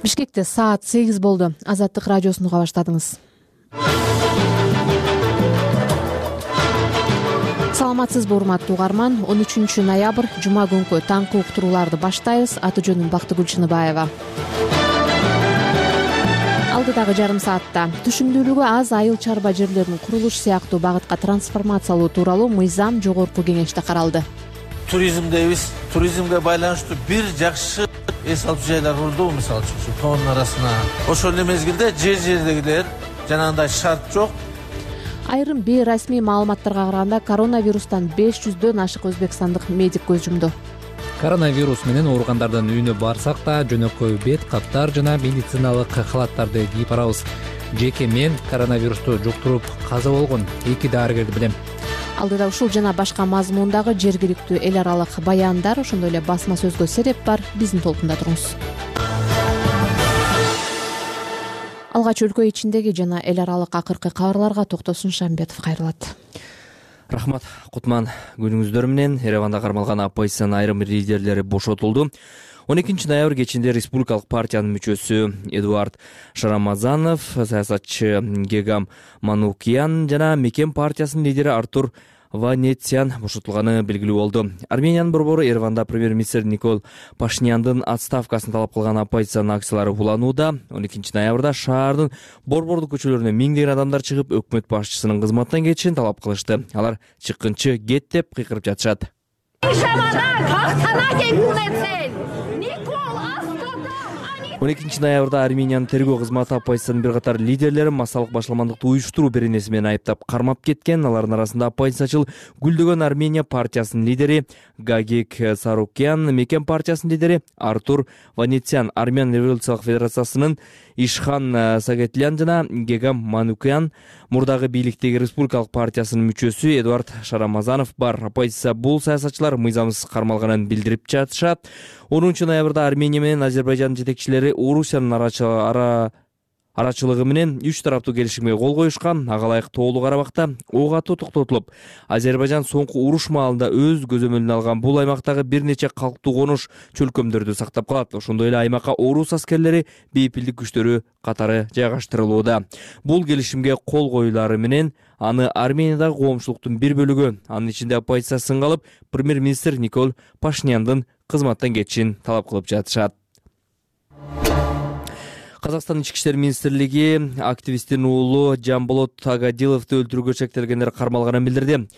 Бишкекте саат 8 болду. Азаттык радиосун уга баштадыңыз. Саламатсызбы урматтуу угарман? 13 ноябрь жума күнкү таңкы уктурууларды баштайбыз. Аты жөнүм Бактыгүл Чыныбаева. Алдыдагы жарым саатта түшүмдүүлүгү аз айыл чарба жерлеринин курулуш сыяктуу багытка трансформациялоо тууралуу мыйзам жогорку кеңеште каралды. Туризмдебиз, туризмге байланыштуу бир жакшы эс алчу жайлар курулду, мисалы үчүн тоонун арасына. Ошол эле мезгилде жер-жердегилер жанагындай шарт жок. Айрым бейрасмий маалыматтарга караганда коронавирустан 500дөн ашык өзбекстандык медик көз жумду. Коронавирус менен ооругандардын үйүнө барсак да жөнөкөй бет каптар жана медициналык халаттарды кийип барабыз. Жеке мен коронавирусту жуктуруп каза болгон 2 дарыгерди билем. Алдыда ушул жана башка мазмундагы жергиликтүү эл аралык баяндар, ошондой эле басма сөзгө сереп бар. Биздин толкунда туруңуз. Алгач өлкө ичиндеги жана эл аралык акыркы кабарларга Токтосун Шамбетов кайрылат. Рахмат, Кутман. Күнүңүздөр менен Ереванда кармалган оппозициянын айрым лидерлери бошотулду. 12 ноябрь кечинде Республикалык партиянын мүчөсү Эдуард Шарамазанов, саясатчы Гегам Манукян жана Мекен партиясынын лидери Артур Ванетсян бошотулганы белгилүү болду. Армениянын борбору Ереванда премьер-министр Никол Пашиняндын отставкасын талап кылган оппозициянын акциялары уланууда. 12 ноябрда шаардын борбордук көчөлөрүнө миңдеген адамдар чыгып, өкмөт башчысынын кызматтан кетишин талап кылышты. Алар чыккынчы кет деп кыйкырып жатышат. 12 ноябрда Армениянын тергөө кызматы оппозициянын бир катар лидерлери массалык башаламандыкты уюштуруу беренеси менен айыптап кармап кеткен. Алардын арасында оппозициячыл Гүлдөгөн Армения партиясынын лидери Гагик Сарукян, Мекен партиясынын лидери Артур Ванетсян, Армян революциялык федерациясынын Ишхан Сагетлян жана Гегам Манукян, мурдагы бийликтеги Республикалык партиясынын мүчөсү Эдуард Шарамазанов бар. Оппозиция бул саясатчылар мыйзамсыз кармалганын билдирип жатышат. 10 ноябрда Армения менен Азербайжандын жетекчилери Орусиянын арачылыгы менен 3 тараптуу келишимге кол коюшкан. Ага ылайык Тоолуу Карабакта ок атуу токтотулуп, Азербайжан соңку уруш маалында өз көзөмөлүнө алган бул аймактагы бир нече калктуу конуш чөлкөмдөрдү сактап калат. Ошондой эле аймакка орус аскерлери, бейпилдик күчтөрү катары жайгаштырылууда. Бул келишимге кол коюлары менен аны Армениядагы коомчулуктун бир бөлүгү, анын ичинде оппозиция сынга алып, премьер-министр Никол Пашиняндын кызматтан кетишин талап кылып жатышат. Казакстан Ички иштер министрлиги активисттин уулу Жамболот Агадиловду өлтүрүүгө шектелгендер кармалганын билдирди.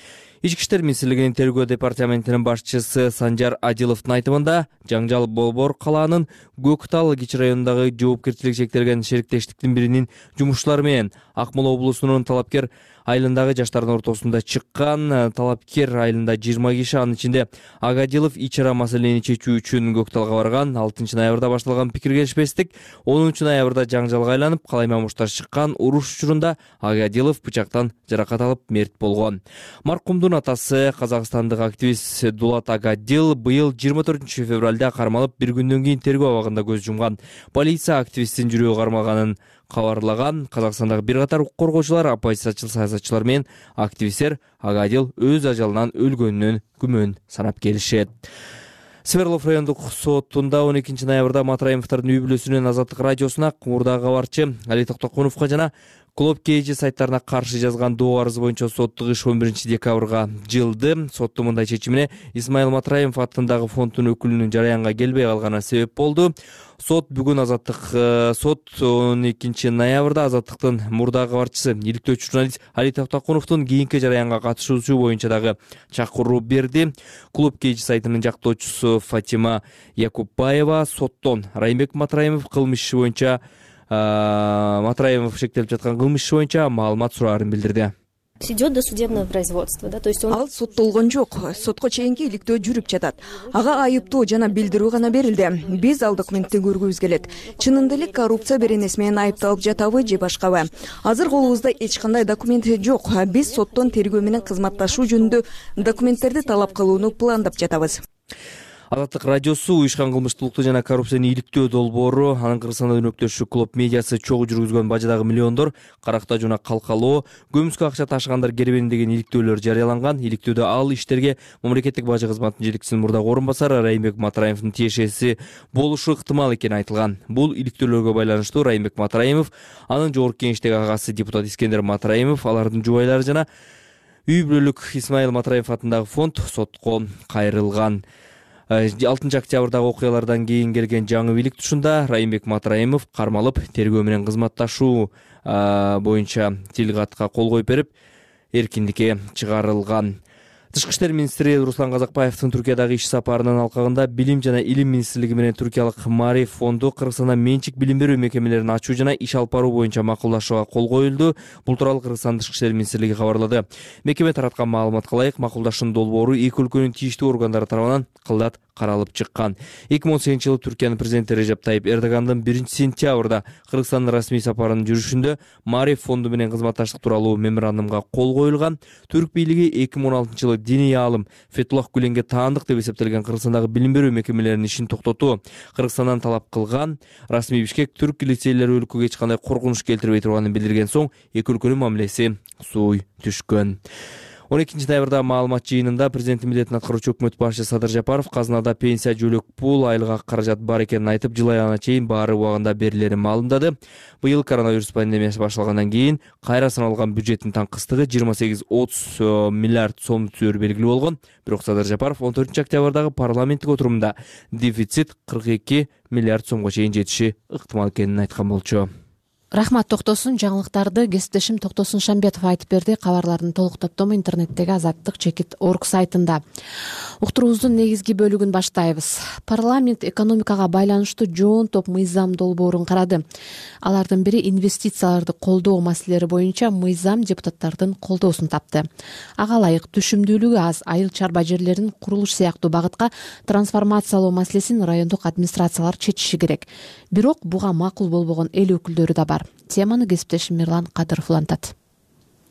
Ички иштер министрлигинин тергөө департаментинин башчысы Санжар Адиловдун айтымында, жаңжал Болбор калаанын Көктал кичи районундагы жоопкерчилиги шектелген шериктештиктин биринин жумушчулары менен Акмола облусунун Талапкер айылындагы жаштардын ортосунда чыккан. Талапкер айылында 20 киши, анын ичинде Агадилов ич ара маселени чечүү үчүн Көкталга барган. 6 ноябрда башталган пикир келишпестик 10 ноябрда жаңжалга айланып, калаймамуштар чыккан. Уруш учурунда Агадилов бычактан жаракат алып мерт болгон. Маркумдун атасы казакстандык активист Дулат Агадил быйыл 24 февралда кармалып, бир күндөн кийин тергөө абагында көз жумган. Полиция активисттин жүрөгү кармалганын кабарлаган. Казакстандагы бир катар укук коргоочулар, оппозициячыл саясатчылар менен активисттер Агадил өз ажалынан өлгөнүнөн күмөн санап келишет. Сверлов райондук сотунда 12 ноябрда Матраимовдордун үй бүлөсүнүн Азаттык радиосуна, мурдагы кабарчы Али Токтокуновго жана Клуб KG сайттарына каршы жазган доо арызы боюнча соттук иш 11 декабрга жылды. Соттун мындай чечимине Исмаил Матраимов аттындагы фонддун өкүлүнүн жараянга келбей калганы себеп болду. Сот 12 ноябрда Азаттыктын мурдагы кабарчысы, иликтөөчү журналист Али Токтокуновдун кийинки жараянга катышуусу боюнча дагы чакыруу берди. Клуб KG сайтынын жактоочусу Фатима Якупбаева соттон Райымбек Матраимов кылмыш иши боюнча Матраимов шектелип жаткан кылмыш иши боюнча маалымат сураарын билдирди. Идет досудебное производство, да, то есть Ал соттолгон жок, сотко чейинки иликтөө жүрүп жатат. Ага айыптоо жана билдирүү гана берилди. Биз ал документти көргүбүз келет. Чынында эле коррупция беренеси менен айыпталып жатабы же башкабы? Азыр колубузда эч кандай документ жок. Биз соттон тергөө менен кызматташуу жөнүндө документтерди талап кылууну пландап жатабыз. Азаттык радиосу уюшкан кылмыштуулукту жана коррупцияны иликтөө долбоору анын Кыргызстанда өнөктөшү клуб медиасы чогуу жүргүзгөн бажадагы миллиондор, карактаа жана калкалоо, көмүскө акча ташыгандар керебени деген иликтөөлөр жарыяланган. Иликтөөдө ал иштерге мамлекеттик бажы кызматынын жетекчисинин мурдагы орун басары Райымбек Матраимовдун тиешеси болушу ыктымал экени айтылган. Бул иликтөөлөргө байланыштуу Райымбек Матраимов, анын жогорку кеңештеги агасы депутат Искендер Матраимов, алардын жубайлары жана үй бүлөлүк Исмаил Матраимов атындагы фонд сотко кайрылган. 6 октябрдагы окуялардан кийин келген жаңы бийлик тушунда Райымбек Матраимов кармалып, тергөө менен кызматташуу боюнча тилгатка кол коюп берип, эркиндикке чыгарылган. Тышкы иштер министри Руслан Казакбаевдин Түркиядагы иш сапарынын алкагында Билим жана Илим министрлиги менен Түркиялык Мариф фонду Кыргызстанда менчик билим берүү мекемелерин ачуу жана иш алып баруу боюнча макулдашууга кол коюлду. Бул тууралуу Кыргызстан Тышкы иштер министрлиги кабарлады. Мекеме тараткан маалыматка ылайык, макулдашуунун долбоору эки өлкөнүн тийиштүү органдары тарабынан кылдат каралып чыккан. 2018-жылы Түркиянын президенти Режеп Тайип Эрдогандын 1-сентябрда Кыргызстандын расмий сапарынын жүрүшүндө Мариф фонду менен кызматташтык тууралуу меморандумга кол коюлган. Түрк бийлиги 2016-жылы диний аалым Фетуллах Гүленге таандык деп эсептелген Кыргызстандагы билим берүү мекемелеринин ишин токтотуу Кыргызстандан талап кылган. Расмий Бишкек түрк лицейлери өлкөгө эч кандай коркунуч келтирбей турганын билдирген соң эки өлкөнүн мамилеси сууй түшкөн. 12 ноябрда маалымат жыйынында президенттин милдетин аткаруучу өкмөт башчысы Садыр Жапаров казынада пенсия жөлөк пул айлык каражат бар экенин айтып, жыл аягына чейин баары убагында берилерин маалымдады. Быйыл коронавирус пандемиясы башталгандан кийин кайра саналган бюджеттин таңкыстыгы 28-30 миллиард сом түзөөрү белгилүү болгон. Бирок Садыр Жапаров 14 октябрдагы парламенттик отурумда дефицит 42 миллиард сомго чейин жетиши ыктымал экенин айткан болчу. Рахмат Токтосун. Жаңылыктарды кесиптешим Токтосун Шамбетов айтып берди. Кабарлардын толук топтому интернеттеги azattik.org сайтында. Уктуруубуздун негизги бөлүгүн баштайбыз. Парламент экономикага байланыштуу жоон топ мыйзам долбоорун карады. Алардын бири инвестицияларды колдоо маселелери боюнча мыйзам депутаттардын колдоосун тапты. Ага ылайык түшүмдүүлүгү аз айыл чарба жерлерин курулуш сыяктуу багытка трансформациялоо маселесин райондук администрациялар чечиши керек. Бирок буга макул болбогон эл өкүлдөрү да бар. Теманы кесиптешим Мирлан Кадыров улантат.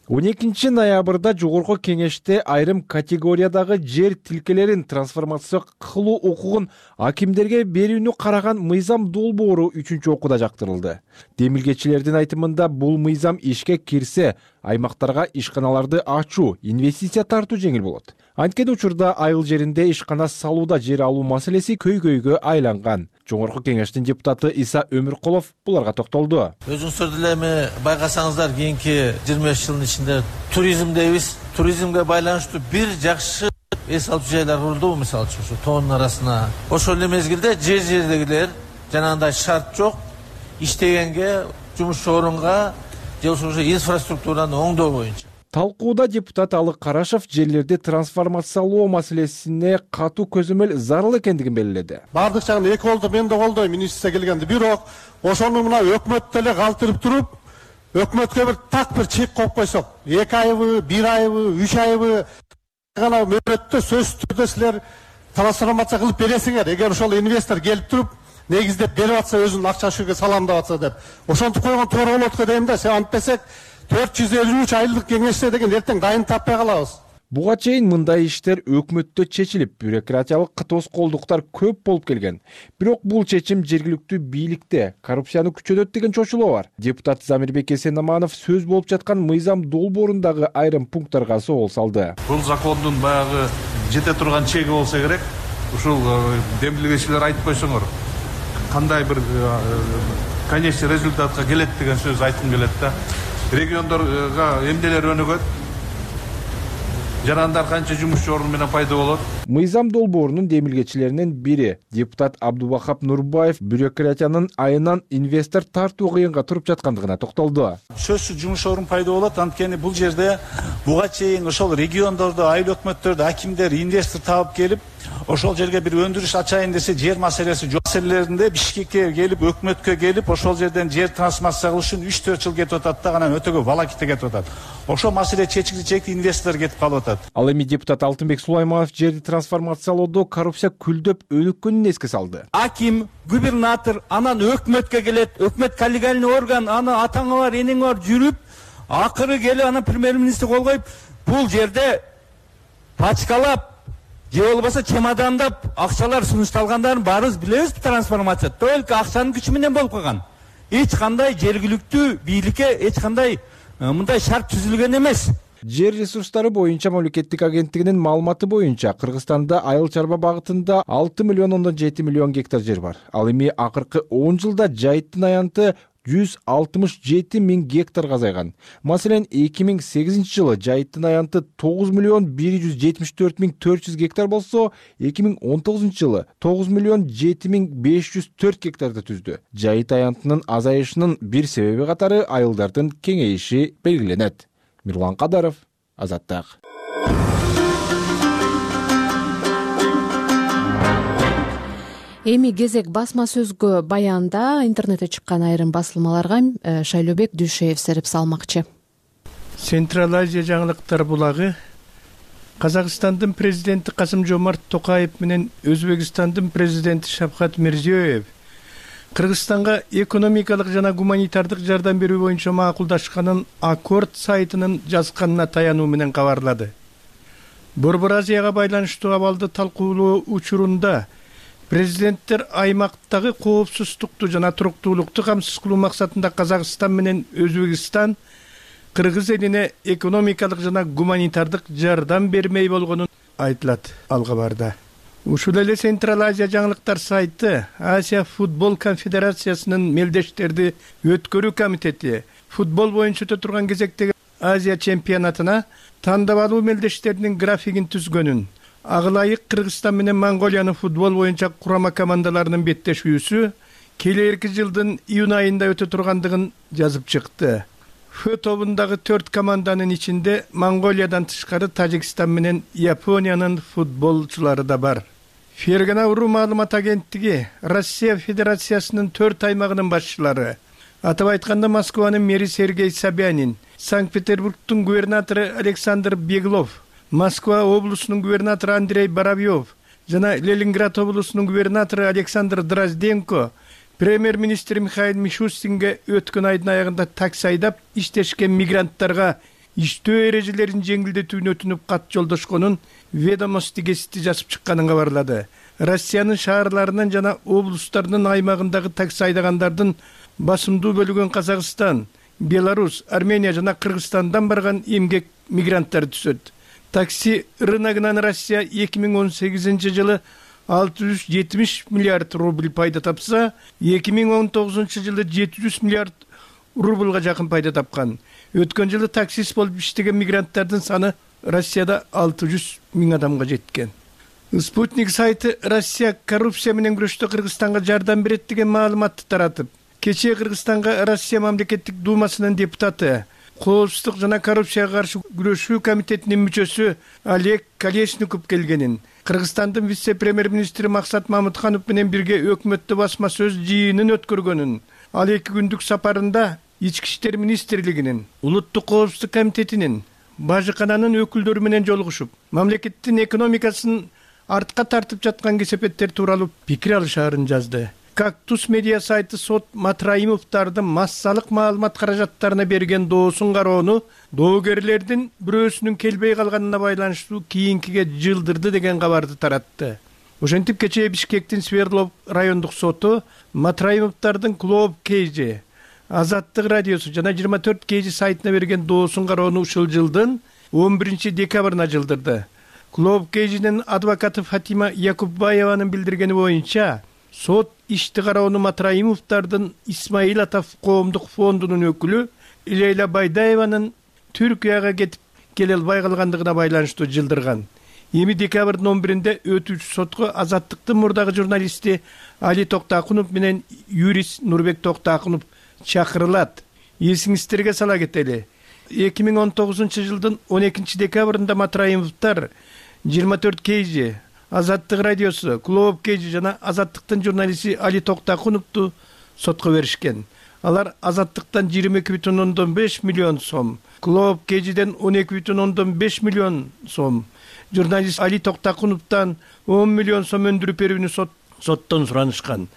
12 ноябрда жогорку кеңеште айрым категориядагы жер тилкелерин трансформация кылуу укугун акимдерге берүүнү караган мыйзам долбоору 3-окууда жактырылды. Демилгечилердин айтымында бул мыйзам ишке кирсе, аймактарга ишканаларды ачуу, инвестиция тартуу жеңил болот. Анткени учурда айыл жеринде ишкана салууда жер алуу маселеси көйгөйгө айланган. Жогорку кеңештин депутаты Иса Өмүркулов буларга токтолду. Өзүңүздөр деле эми байкасаңыздар, кийинки 25 жылдын ичинде туризм дейбиз. Туризмге байланыштуу бир жакшы эс алчу жайлар курулду, мисалы үчүн ушу тоонун арасына. Ошол эле мезгилде жер-жердегилер жанагындай шарт жок, иштегенге, жумуш орунга же ошо инфраструктураны оңдоо боюнча. Талкууда депутат Алык Карашев жерлерди трансформациялоо маселесине катуу көзөмөл зарыл экендигин белгиледи. Бардык жагын эки колдо мен да колдойм инвестиция келгенде. Бирок ошону мына өкмөт деле калтырып туруп, өкмөткө бир чек коюп койсок, 2 айбы, 1 айбы, 3 айбы гана мөөнөттө сөзсүз түрдө силер трансформация кылып бересиңер. Эгер ошол инвестор келип туруп негиздеп берип атса, өзүнүн акча шүгө салам деп атса деп. Ошентип койгон туура болот го дейм да. Сен антпесек 453 айлык кеңеште деген эртең дайын таппай калабыз. Буга чейин мындай иштер өкмөттө чечилип, бюрократиялык тоскоолдуктар көп болуп келген. Бирок бул чечим жергиликтүү бийликте коррупцияны күчөтөт деген чочулоо бар. Депутат Замирбек Эсенаманов сөз болуп жаткан мыйзам долбоорундагы айрым пункттарга соол салды. Бул закондун баягы жете турган чеги болсо керек. Ушул демилгечилер айтып койсоңор, кандай бир конечный результатка келет деген сөз айткым келет да. Региондорго эмнелер өнүгөт, жарандар канча жумуш орун менен пайда болот. Мыйзам долбоорунун демилгечилеринин бири депутат Абдубахап Нурбаев бюрократиянын айынан инвестор тартуу кыйынга туруп жаткандыгына токтолду. Сөзсүз жумуш орун пайда болот, анткени бул жерде буга чейин ошол региондордо, айыл өкмөттөрдө акимдер инвестор таап келип, ошол жерге бир өндүрүш ачайын десе, жер маселеси жок. Маселелеринде Бишкекке келип, өкмөткө келип, ошол жерден жер трансформация кылыш үчүн 3-4 жыл кетип атат да, анан өтө көп волокита кетип атат. Ошол маселе чечилчек, инвестор кетип калып атат. Ал эми депутат Алтынбек Сулайманов жерди трансформациялоодо коррупция күлдөп өнүккөнүн эске салды. Аким, губернатор, анан өкмөткө келет, өкмөт коллегиальный орган, аны атаңа бар, энең бар жүрүп, акыры келип анан премьер-министр кол коюп, бул жерде пачкалап же болбосо чемодандап акчалар сунушталгандарын баарыбыз билебиз. Трансформация только акчанын күчү менен болуп калган. Эч кандай жергиликтүү бийликке эч кандай мындай шарт түзүлгөн эмес. Жер ресурстары боюнча мамлекеттик агенттигинин маалыматы боюнча Кыргызстанда айыл чарба багытында 6,7 миллион гектар жер бар. Ал эми акыркы 10 жылда жайыттын аянты 167 миң гектарга азайган. Маселен, 2008 жылы жайыттын аянты 9,174,400 гектар болсо, 2019 жылы 9,7,504 гектарды түздү. Жайыт аянтынын азайышынын бир себеби катары айылдардын кеңейиши белгиленет. Мирлан Кадаров, Азаттык. Эми кезек басма сөзгө баянда интернетте чыккан айрым басылмаларга Шайлообек Дүйшеев сереп салмакчы. Централ Азия жаңылыктар булагы Казакстандын президенти Касым-Жомарт Токаев менен Өзбекстандын президенти Шавкат Мирзиёев Кыргызстанга экономикалык жана гуманитардык жардам берүү боюнча макулдашканын Аккорд сайтынын жазганына таянуу менен кабарлады. Борбор Азияга байланыштуу абалды талкуулоо учурунда президенттер аймактагы коопсуздукту жана туруктуулукту камсыз кылуу максатында Казакстан менен Өзбекстан Кыргыз элине экономикалык жана гуманитардык жардам бермей болгонун айтылат ал кабарда. Ушул эле Централ Азия жаңылыктар сайты Азия футбол конфедерациясынын мелдештерди өткөрүү комитети футбол боюнча өтө турган кезектеги Азия чемпионатына тандабалуу мелдештердин графигин түзгөнүн, ага ылайык Кыргызстан менен Монголиянын футбол боюнча курама командаларынын беттешүүсү келерки жылдын июнь айында өтө тургандыгын жазып чыкты. Ф тобундагы 4 команданын ичинде Монголиядан тышкары Тажикстан менен Япониянын футболчулары да бар. Фергана Уру маалымат агенттиги Россия Федерациясынын 4 аймагынын башчылары, атап айтканда Москванын мэри Сергей Собянин, Санкт-Петербургдун губернатору Александр Беглов, Москва облусунун губернатору Андрей Боровьев жана Ленинград облусунун губернатору Александр Дрозденко премьер-министр Михаил Мишустинге өткөн айдын аягында такси айдап иштешкен мигранттарга иштөө эрежелерин жеңилдетүүнү өтүнүп кат жолдошконун ведомости гезити жазып чыкканын кабарлады. Россиянын шаарларынын жана облустарынын аймагындагы такси айдагандардын басымдуу бөлүгүн Казакстан, Беларусь, Армения жана Кыргызстандан барган эмгек мигранттар түзөт. Такси рыногунан Россия 2018 жылы 670 миллиард рубль пайда тапса, 2019 жылы 700 миллиард рубльга жакын пайда тапкан. Өткөн жылы таксист болуп иштеген мигранттардын саны Россияда 600 миң адамга жеткен. Спутник сайты Россия коррупция менен күрөштө Кыргызстанга жардам берет деген маалыматты таратып, кечээ Кыргызстанга Россия мамлекеттик думасынын депутаты, коопсуздук жана коррупцияга каршы күрөшүү комитетинин мүчөсү Олег Колесников келгенин, Кыргызстандын вице-премьер-министри Максат Мамытханов менен бирге өкмөттө басма сөз жыйынын өткөргөнүн, ал 2 күндүк сапарында Ички иштер министрлигинин, Улуттук коопсуздук комитетинин, бажыкананын өкүлдөрү менен жолугушуп, мамлекеттин экономикасын артка тартып жаткан кесепеттер тууралуу пикир алышаарын жазды. Кактус медиа сайты сот Матраимовдардын массалык маалымат каражаттарына берген доосун кароону доогерлердин бирөөсүнүн келбей калганына байланыштуу кийинкиге жылдырды деген кабарды таратты. Ошентип кечээ Бишкектин Свердлов райондук соту Матраимовдардын Клоп Кейжи, Азаттык радиосу жана 24 Кейжи сайтына берген доосун кароону ушул жылдын 11 декабрына жылдырды. Клоп Кейжинин адвокаты Фатима Якуббаеванын билдиргени боюнча, сот ишти кароону Матраимовдардын Исмаил Атов коомдук фондунун өкүлү Лейла Байдаеванын Түркияга кетип келе албай калгандыгына байланыштуу жылдырган. Эми декабрдын 11-нде өтүүчү сотко Азаттыктын мурдагы журналисти Али Токтакунов менен юрист Нурбек Токтакунов чакырылат. Эсиңиздерге сала кетели. 2019 жылдын 12 декабрында Матраимовдор 24 Кейжи, Азаттык радиосу, Клоп Кейжи жана Азаттыктын журналисти Али Токтакуновду сотко беришкен. Алар Азаттыктан 22,5 миллион сом, Клоп Кейжиден 12,5 миллион сом, журналист Али Токтакуновдон 10 миллион сом өндүрүп берүүнү соттон суранышкан.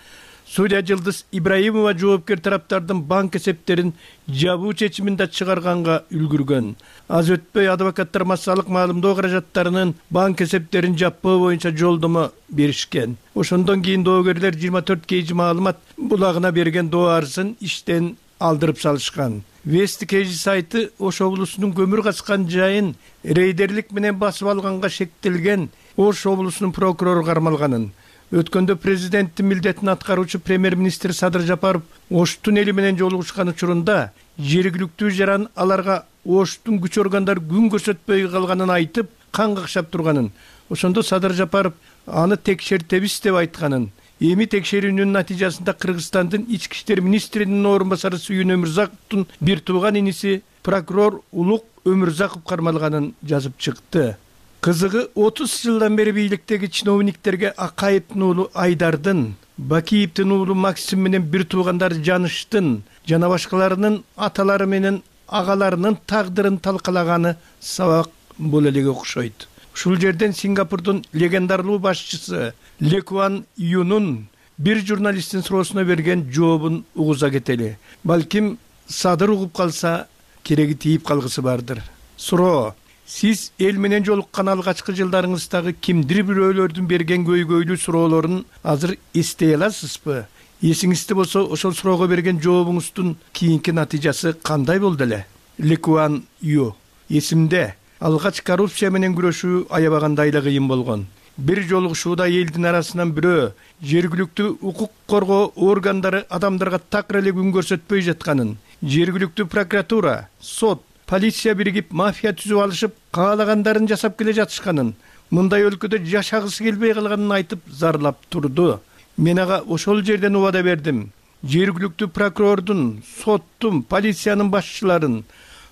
судья Жылдыз Ибраимова жоопкер тараптардын банк эсептерин жабуу чечимин да чыгарганга үлгүргөн. Аз өтпөй адвокаттар массалык маалымдоо каражаттарынын банк эсептерин жаппоо боюнча жолдомо беришкен. Ошондон кийин доогерлер 24 KG маалымат булагына берген доо арызын иштен алдырып салышкан. Вести KG сайты Ош облусунун көмүр качкан жайын рейдерлик менен басып алганга шектелген Ош облусунун прокурору кармалганын, өткөндө президенттин милдетин аткаруучу премьер-министр Садыр Жапаров Оштун эли менен жолугушкан учурунда жергиликтүү жаран аларга Оштун күч органдары күн көрсөтпөй калганын айтып, кан какшап турганын, ошондо Садыр Жапаров аны текшертебиз деп айтканын. Эми текшерүүнүн натыйжасында Кыргызстандын ички иштер министринин орун басары Сүйүн Өмүрзаковдун бир тууган иниси прокурор Улук Өмүрзаков кармалганын жазып чыкты. Кызыгы 30 жылдан бери бийликтеги чиновниктерге Акаевдин уулу Айдардын, Бакиевдин уулу Максим менен бир туугандары Жаныштын жана башкаларынын аталары менен агаларынын тагдырын талкалаганы сабак боло эле окшойт. Ушул жерден Сингапурдун легендарлуу башчысы Ли Куан Юнун бир журналисттин суроосуна берген жообун угуза кетели. Балким Садыр угуп калса, кереги тийип калгысы бардыр. Суроо: сиз эл менен жолуккан алгачкы жылдарыңыздагы кимдир бирөөлөрдүн берген көйгөйлүү суроолорун азыр эстей аласызбы? Эсиңизде болсо, ошол суроого берген жообуңуздун кийинки натыйжасы кандай болду эле? Ли Куан Ю: эсимде. Алгач коррупция менен күрөшүү аябагандай эле кыйын болгон. Бир жолугушууда элдин арасынан бирөө жергиликтүү укук коргоо органдары адамдарга такыр эле күн көрсөтпөй жатканын, жергиликтүү прокуратура, сот, полиция биригип мафия түзүп алышып, каалагандарын жасап келе жатышканын, мындай өлкөдө жашагысы келбей калганын айтып зарлап турду. Мен ага ошол жерден убада бердим. Жергиликтүү прокурордун, соттун, полициянын башчыларын,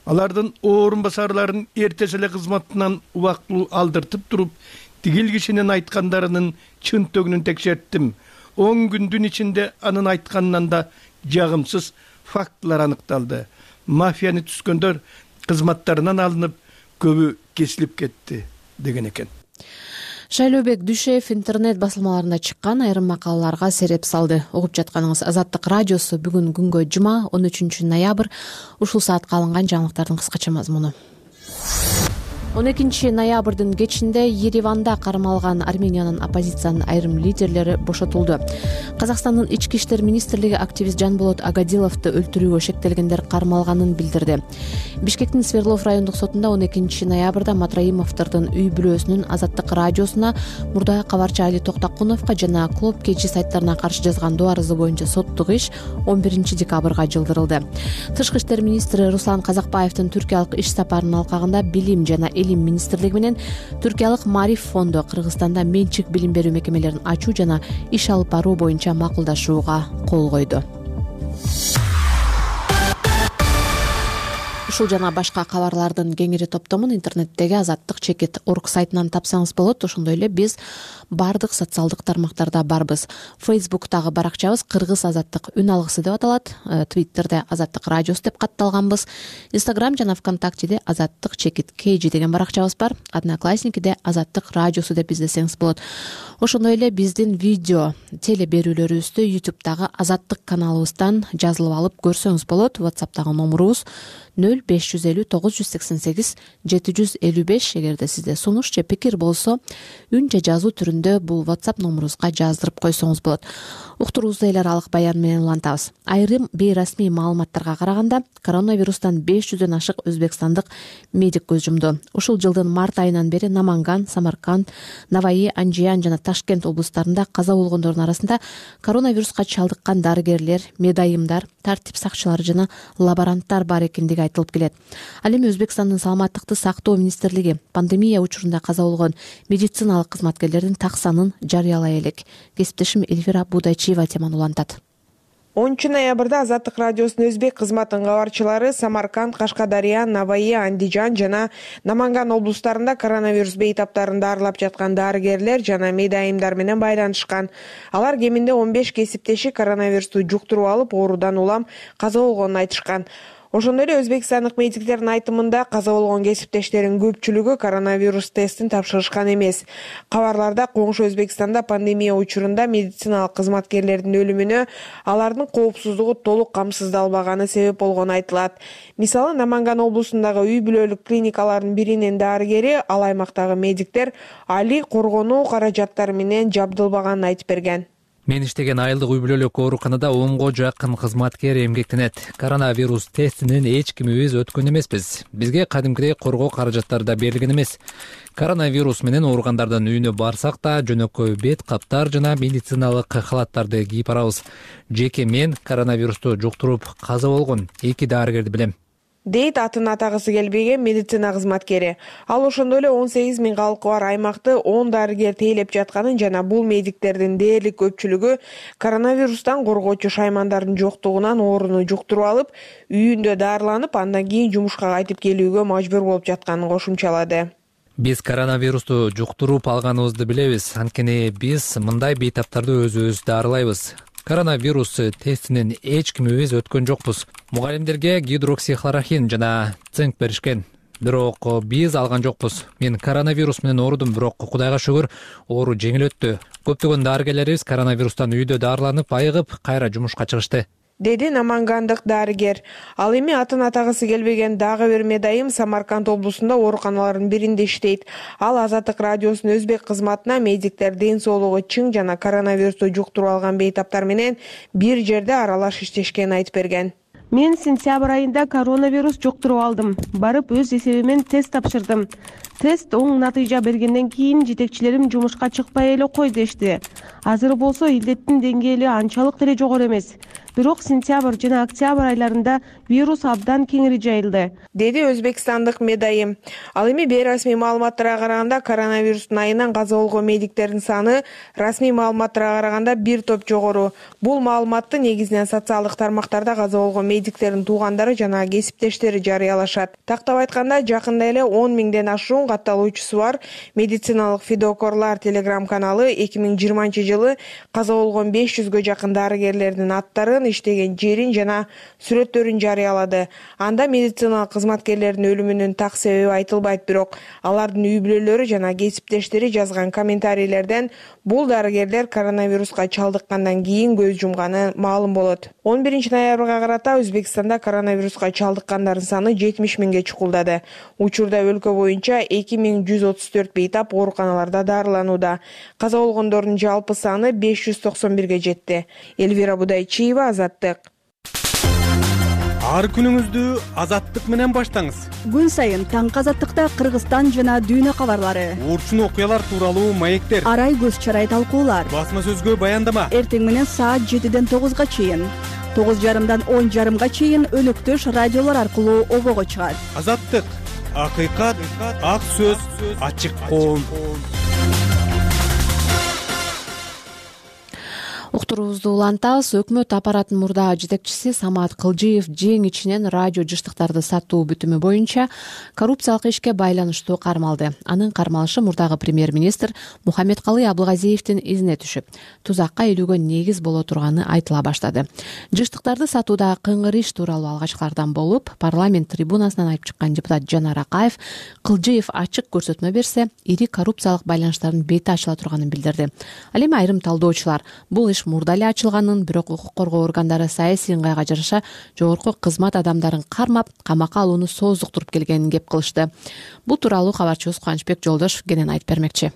алардын орун басарларын эртеси эле кызматынан убактылуу алдыртып туруп, тигил кишинин айткандарынын чын төгүнүн текшерттим. 10 күндүн ичинде анын айтканынан да жагымсыз фактылар аныкталды. Мафияны түзгөндөр кызматтарынан алынып, көбү кесилип кетти деген экен. Шайлообек Дүйшеев интернет басылмаларында чыккан айрым макалаларга сереп салды. Угуп жатканыңыз Азаттык радиосу. Бүгүн күнгө жума 13 ноябрь. Ушул саатка алынган жаңылыктардын кыскача мазмуну. 12 ноябрдын кечинде Ереванда кармалган Армениянын оппозициянын айрым лидерлери бошотулду. Казакстандын ички иштер министрлиги активист Жанболот Агадиловду өлтүрүүгө шектелгендер кармалганын билдирди. Бишкектин Свердлов райондук сотунда 12 ноябрда Матраимовдордун үй бүлөсүнүн Азаттык радиосуна, мурда кабарчы Али Токтакуновго жана Клоп KG сайттарына каршы жазган доо арызы боюнча соттук иш 11 декабрга жылдырылды. Тышкы иштер министри Руслан Казакбаевдин Түркиялык иш сапарынын алкагында билим жана Илим министрлиги менен Түркиялык Мариф фонду Кыргызстанда менчик билим берүү мекемелерин ачуу жана иш алып баруу боюнча макулдашууга кол койду. Ушул жана башка кабарлардын кеңири топтомун интернеттеги azattik.org сайтынан тапсаңыз болот. Ошондой эле биз бардык социалдык тармактарда барбыз. Facebook'тагы баракчабыз Кыргыз Азаттык үн алгысы деп аталат. Twitter'де Азаттык радиосу деп катталганбыз. Instagram жана ВКонтактеде azattik.kg деген баракчабыз бар. Одноклассникиде Азаттык радиосу деп издесеңиз болот. Ошондой эле биздин видео теле берүүлөрүбүздү YouTube'дагы Азаттык каналыбыздан жазылып алып көрсөңүз болот. WhatsApp'тагы номурубуз 0550 988 755. Эгерде сизде сунуш же пикир болсо, үн же жазуу түрүндө бул WhatsApp номурубузга жаздырып койсоңуз болот. Уктуруубузду эл аралык баян менен улантабыз. Айрым бейрасмий маалыматтарга караганда, коронавирустан 500дөн ашык өзбекстандык медик көз жумду. Ушул жылдын март айынан бери Наманган, Самарканд, Наваи, Анжиян жана Ташкент облустарында каза болгондордун арасында коронавируска чалдыккан дарыгерлер, медайымдар, тартип сакчылары жана лаборанттар бар экендиги айтылып келет. Ал эми Өзбекстандын саламаттыкты сактоо министрлиги пандемия учурунда каза болгон медициналык кызматкерлердин так санын жарыялай элек. Кесиптешим Эльвира Будайчиева теманы улантат. 10 ноябрда Азаттык радиосунун өзбек кызматынын кабарчылары Самарканд, Кашкадария, Наваи, Андижан жана Наманган облустарында коронавирус бейтаптарын дарылап жаткан дарыгерлер жана медайымдар менен байланышкан. Алар кеминде 15 кесиптеши коронавирусту жуктуруп алып, оорудан улам каза болгонун айтышкан. Ошондой эле өзбекстандык медиктердин айтымында каза болгон кесиптештерин көпчүлүгү коронавирус тестин тапшырышкан эмес. Кабарларда коңшу Өзбекстанда пандемия учурунда медициналык кызматкерлердин өлүмүнө алардын коопсуздугу толук камсыздалбаганы себеп болгону айтылат. Мисалы, Наманган облусундагы үй бүлөлүк клиникалардын биринин дарыгери ал аймактагы медиктер али коргонуу каражаттары менен жабдылбаганын айтып берген. Мен иштеген айылдык үй бүлөлүк ооруканада 10го жакын кызматкер эмгектенет. Коронавирус тестинен эч кимибиз өткөн эмеспиз. Бизге кадимкидей коргоо каражаттары да берилген эмес. Коронавирус менен ооругандардын үйүнө барсак да жөнөкөй бет каптар жана медициналык халаттарды кийип барабыз. Жеке мен коронавирусту жуктуруп каза болгон 2 дарыгерди билем, дейт атын атагысы келбеген медицина кызматкери. Ал ошондой эле 18 000 калкы бар аймакты 10 дарыгер тейлеп жатканын жана бул медиктердин дээрлик көпчүлүгү коронавирустан коргоочу шаймандардын жоктугунан ооруну жуктуруп алып, үйүндө дарыланып, андан кийин жумушка кайтып келүүгө мажбур болуп жатканын кошумчалады. Биз коронавирусту жуктуруп алганыбызды билебиз, анткени биз мындай бейтаптарды өзүбүз дарылайбыз. Коронавирус тестинен эч кимибиз өткөн жокпуз. Мугалимдерге гидроксихлорохин жана цинк беришкен. Бирок биз алган жокпуз. Мен коронавирус менен оорудум, бирок Кудайга шүгүр, оору жеңил өттү. Көптөгөн дарыгерлерибиз коронавирустан үйдө дарыланып, айыгып, кайра жумушка чыгышты, деди намангандык дарыгер. Ал эми атын атагысы келбеген дагы бир медайым Самарканд облусунда ооруканалардын биринде иштейт. Ал Азаттык радиосунун өзбек кызматына медиктер ден соолугу чың жана коронавирусту жуктуруп алган бейтаптар менен бир жерде аралаш иштешкенин айтып берген. Мен сентябрь айында коронавирус жуктуруп алдым. Барып өз эсебимен тест тапшырдым. Тест оң натыйжа бергенден кийин жетекчилерим жумушка чыкпай эле кой дешти. Азыр болсо илдеттин деңгээли анчалык деле жогору эмес. Бирок сентябрь жана октябрь айларында вирус абдан кеңири жайылды, деди өзбекстандык медайым. Ал эми бейрасмий маалыматтарга караганда коронавирустун айынан каза болгон медиктердин саны расмий маалыматтарга караганда бир топ жогору. Бул маалыматты негизинен социалдык тармактарда каза болгон медиктердин туугандары жана кесиптештери жарыялашат. Тактап айтканда, жакында эле 10 000ден ашуун катталуучусу бар медициналык фидокорлар телеграм каналы 2020 жылы каза болгон 500гө жакын дарыгерлердин аттарын, иштеген жерин жана сүрөттөрүн жарыялады. Анда медициналык кызматкерлердин өлүмүнүн так себеби айтылбайт, бирок алардын үй бүлөлөрү жана кесиптештери жазган комментарийлерден бул дарыгерлер коронавируска чалдыккандан кийин көз жумганы маалым болот. 11 ноябрга карата Өзбекстанда коронавируска чалдыккандардын саны 70 000ге чукулдады. Учурда өлкө боюнча 2134 бейтап ооруканаларда дарыланууда. Каза болгондордун жалпы саны 591ге жетти. Эльвира Будайчиева, Азаттык. Ар күнүңүздү Азаттык менен баштаңыз. Күн сайын таңкы Азаттыкта Кыргызстан жана дүйнө кабарлары, Уурчун окуялар тууралуу маектер, арай көз чарай талкуулар, басма сөзгө баяндама. Эртең менен саат 7ден 9га чейин, 9:30дан 10:30га чейин өнөктөш радиолор аркылуу обого чыгат. Азаттык, акыйкат, ак сөз, ачык коом. Уктуруубузду улантабыз. Өкмөт аппаратынын мурдагы жетекчиси Самат Кылжиев жең ичинен радио жыштыктарды сатуу бүтүмү боюнча коррупциялык ишке байланыштуу кармалды. Анын кармалышы мурдагы премьер-министр Мухаммедкалый Абылгазиевдин изине түшүп, тузакка илүүгө негиз боло турганы айтыла баштады. Жыштыктарды сатуудагы кыңгыр иш тууралуу алгачкылардан болуп, парламент трибунасынан айтып чыккан депутат Жанар Акаев Кылжиев ачык көрсөтмө берсе, ири коррупциялык байланыштардын бети ачыла турганын билдирди. Ал эми айрым талдоочулар бул иш мурда эле ачылганын, бирок укук коргоо органдары саясий ыңгайга жараша жогорку кызмат адамдарын кармап, камакка алууну сооздуктуруп келгенин кеп кылышты. Бул тууралуу кабарчыбыз Кубанычбек Жолдошов кенен айтып бермекчи.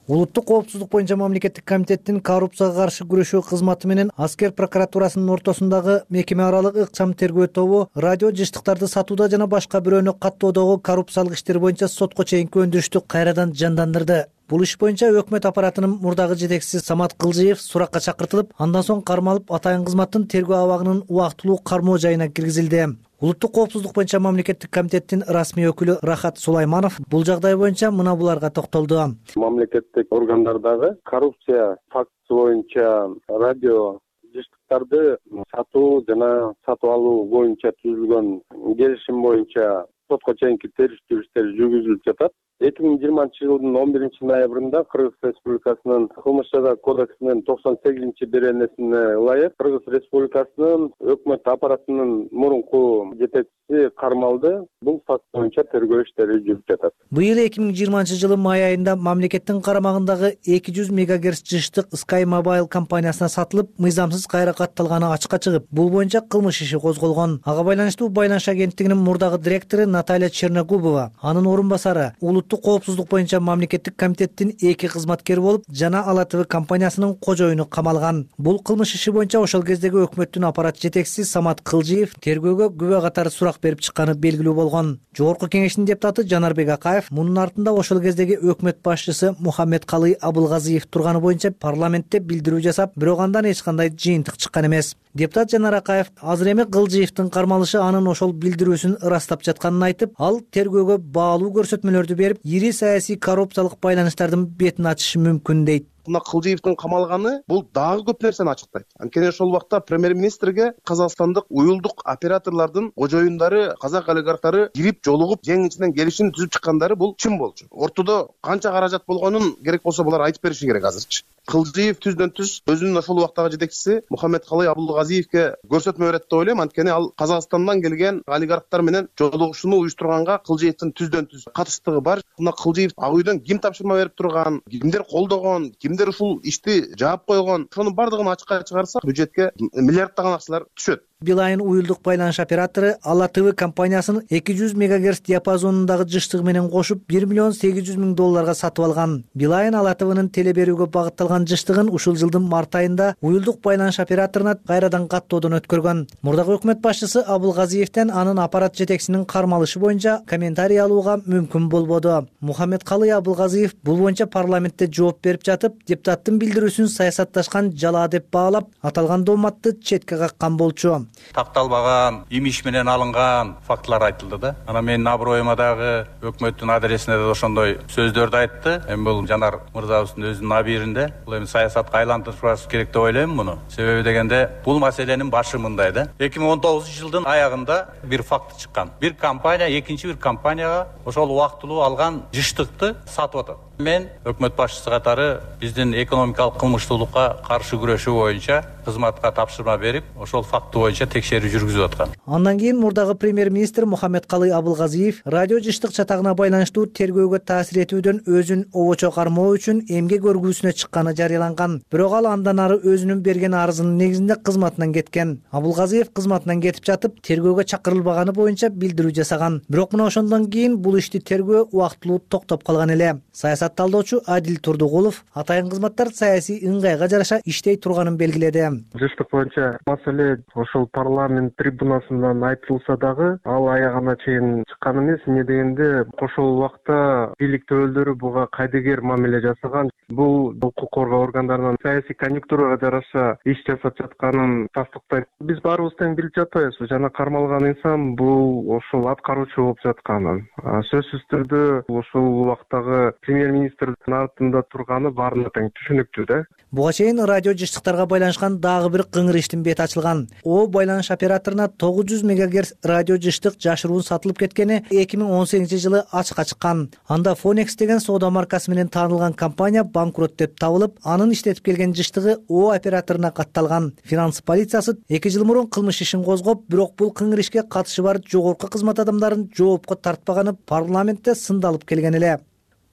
Улуттук коопсуздук боюнча мамлекеттик комитеттин коррупцияга каршы күрөшүү кызматы менен аскер прокуратурасынын ортосундагы мекеме аралык ыкчам тергөө тобу радио жыштыктарды сатууда жана башка бирөөнү каттоодогу коррупциялык иштер боюнча сотко чейинки өндүрүштү кайрадан жандандырды. Бул иш боюнча өкмөт аппаратынын мурдагы жетекчиси Самат Кылжиев суракка чакыртылып, андан соң кармалып, атайын кызматтын тергөө абагынын убактылуу кармоо жайына киргизилди. Улуттук коопсуздук боюнча мамлекеттик комитеттин расмий өкүлү Рахат Сулайманов бул жагдай боюнча мына буларга токтолду. Мамлекеттик органдардагы коррупция фактысы боюнча радио жыштыктарды сатуу жана сатып алуу боюнча түзүлгөн келишим боюнча сотко чейинки териштирүү иштери жүргүзүлүп жатат. 2020 жылдын 11 ноябрында Кыргыз Республикасынын кылмыш жаза кодексинин 98-беренесине ылайык Кыргыз Республикасынын өкмөт аппаратынын мурунку жетекчиси кармалды. Бул факт боюнча тергөө иштери жүрүп жатат. Быйыл 2020 жылы май айында мамлекеттин карамагындагы 200 мегагерц жыштык Sky Mobile компаниясына сатылып, мыйзамсыз кайра катталганы ачыкка чыгып, бул боюнча кылмыш иши козголгон. Ага байланыштуу байланыш агенттигинин мурдагы директору Наталья Черногубова, анын орун басары, улуттук коопсуздук боюнча мамлекеттик комитеттин 2 кызматкери болуп, жана Ала ТВ компаниясынын кожоюну камалган. Бул кылмыш иши боюнча ошол кездеги өкмөттүн аппарат жетекчиси Самат Кылжиев тергөөгө күбө катары сурак берип чыкканы белгилүү болгон. Жогорку кеңештин депутаты Жанарбек Акаев мунун артында ошол кездеги өкмөт башчысы Мухаммед Калый Абылгазиев турганы боюнча парламентте билдирүү жасап, бирок андан эч кандай жыйынтык чыккан эмес. Депутат Жанар Акаев азыр эми Кылжиевдин кармалышы анын ошол билдирүүсүн ырастап жатканын айтып, ал тергөөгө баалуу көрсөтмөлөрдү берип, ири саясий коррупциялык байланыштардын бетин ачышы мүмкүн дейт. Мына Кылжиевдин камалганы бул дагы көп нерсени ачыктайт. Анткени ошол убакта премьер-министрге казакстандык уюлдук операторлордун кожоюндары, казак олигархтары кирип жолугуп, жең ичинен келишим түзүп чыккандары бул чын болчу. Ортодо канча каражат болгонун керек болсо булар айтып бериши керек азырчы. Кылжиев түздөн-түз өзүнүн ошол убактагы жетекчиси Мухаммед Калый Абылгазиевке көрсөтмө берет деп ойлойм. Анткени ал Казакстандан келген олигархтар менен жолугушууну уюштурганга Кылжиевдин түздөн-түз катыштыгы бар. Мына Кылжиев ак үйдөн ким тапшырма берип турган, кимдер колдогон, кимдер ушул ишти жаап койгон, ошонун бардыгын ачыкка чыгарсак, бюджетке миллиарддаган акчалар түшөт. Билайн уюлдук байланыш оператору Ала ТВ компаниясынын 200 мегагерц диапазонундагы жыштыгы менен кошуп $1 800 000 сатып алган. Билайн Ала ТВнын теле берүүгө багытталган жыштыгын ушул жылдын март айында уюлдук байланыш операторуна кайрадан каттоодон өткөргөн. Мурдагы өкмөт башчысы Абылгазиевден анын аппарат жетекчисинин кармалышы боюнча комментарий алууга мүмкүн болбоду. Мухаммед Калый Абылгазиев бул боюнча парламентте жооп берип жатып, депутаттын билдирүүсүн саясатташкан жала деп баалап, аталган дооматты четке каккан болчу. Такталбаган, имиш менен алынган фактылар айтылды да. Ана менин аброюма дагы өкмөттүн адресине да ошондой сөздөрдү айтты. Эми бул Жанар мырзабыздын өзүнүн абийиринде. Бул эми саясатка айлантырышыбыз керек деп ойлойм муну. Себеби дегенде бул маселенин башы мындай да. 2019 жылдын аягында бир факт чыккан. Бир компания экинчи бир компанияга ошол убактылуу алган жыштыкты сатып атат. Мен өкмөт башчысы катары биздин экономикалык кылмыштуулукка каршы күрөшүү боюнча кызматка тапшырма берип, ошол факты боюнча текшерүү жүргүзүп аткан. Андан кийин мурдагы премьер-министр Мухаммед Калый Абылгазиев радио жыштык чатагына байланыштуу тергөөгө таасир этүүдөн өзүн обочо кармоо үчүн эмгек өргүүсүнө чыкканы жарыяланган. Бирок ал андан ары өзүнүн берген арызынын негизинде кызматынан кеткен. Абылгазиев кызматынан кетип жатып, тергөөгө чакырылбаганы боюнча билдирүү жасаган. Бирок мына ошондон кийин бул ишти тергөө убактылуу токтоп калган эле. Саясат талдоочу Адил Турдугулов атайын кызматтар саясий ыңгайга жараша иштей турганын белгиледи. Жыштык боюнча маселе ошол парламент трибунасынан айтылса дагы ал аягына чейин чыккан эмес. Эмне дегенде ошол убакта бийликтүүлөрү буга кайдыгер мамиле жасаган. Бул укук коргоо органдарынын саясий конъюнктурага жараша иш жасап жатканын тастыктайт. Биз баарыбыз тең билип жатпайбыз. Жана кармалган инсан бул ошол аткаруучу болуп жатканын. Сөзсүз түрдө ошол убактагы премьер-министрдин артында турганы баарына тең түшүнүктүү да. Буга чейин радио жыштыктарга байланышкан дагы бир кыңыр иштин бети ачылган. О байланыш операторуна 900 мегагерц радио жыштык жашыруун сатылып кеткени 2018 жылы ачыкка чыккан. Анда Phonex деген соода маркасы менен таанылган компания банкрот деп табылып, анын иштетип келген жыштыгы О операторуна катталган. Финанс полициясы 2 жыл мурун кылмыш ишин козгоп, бирок бул кыңыр ишке катышы бар жогорку кызмат адамдарын жоопко тартпаганы парламентте сындалып келген эле.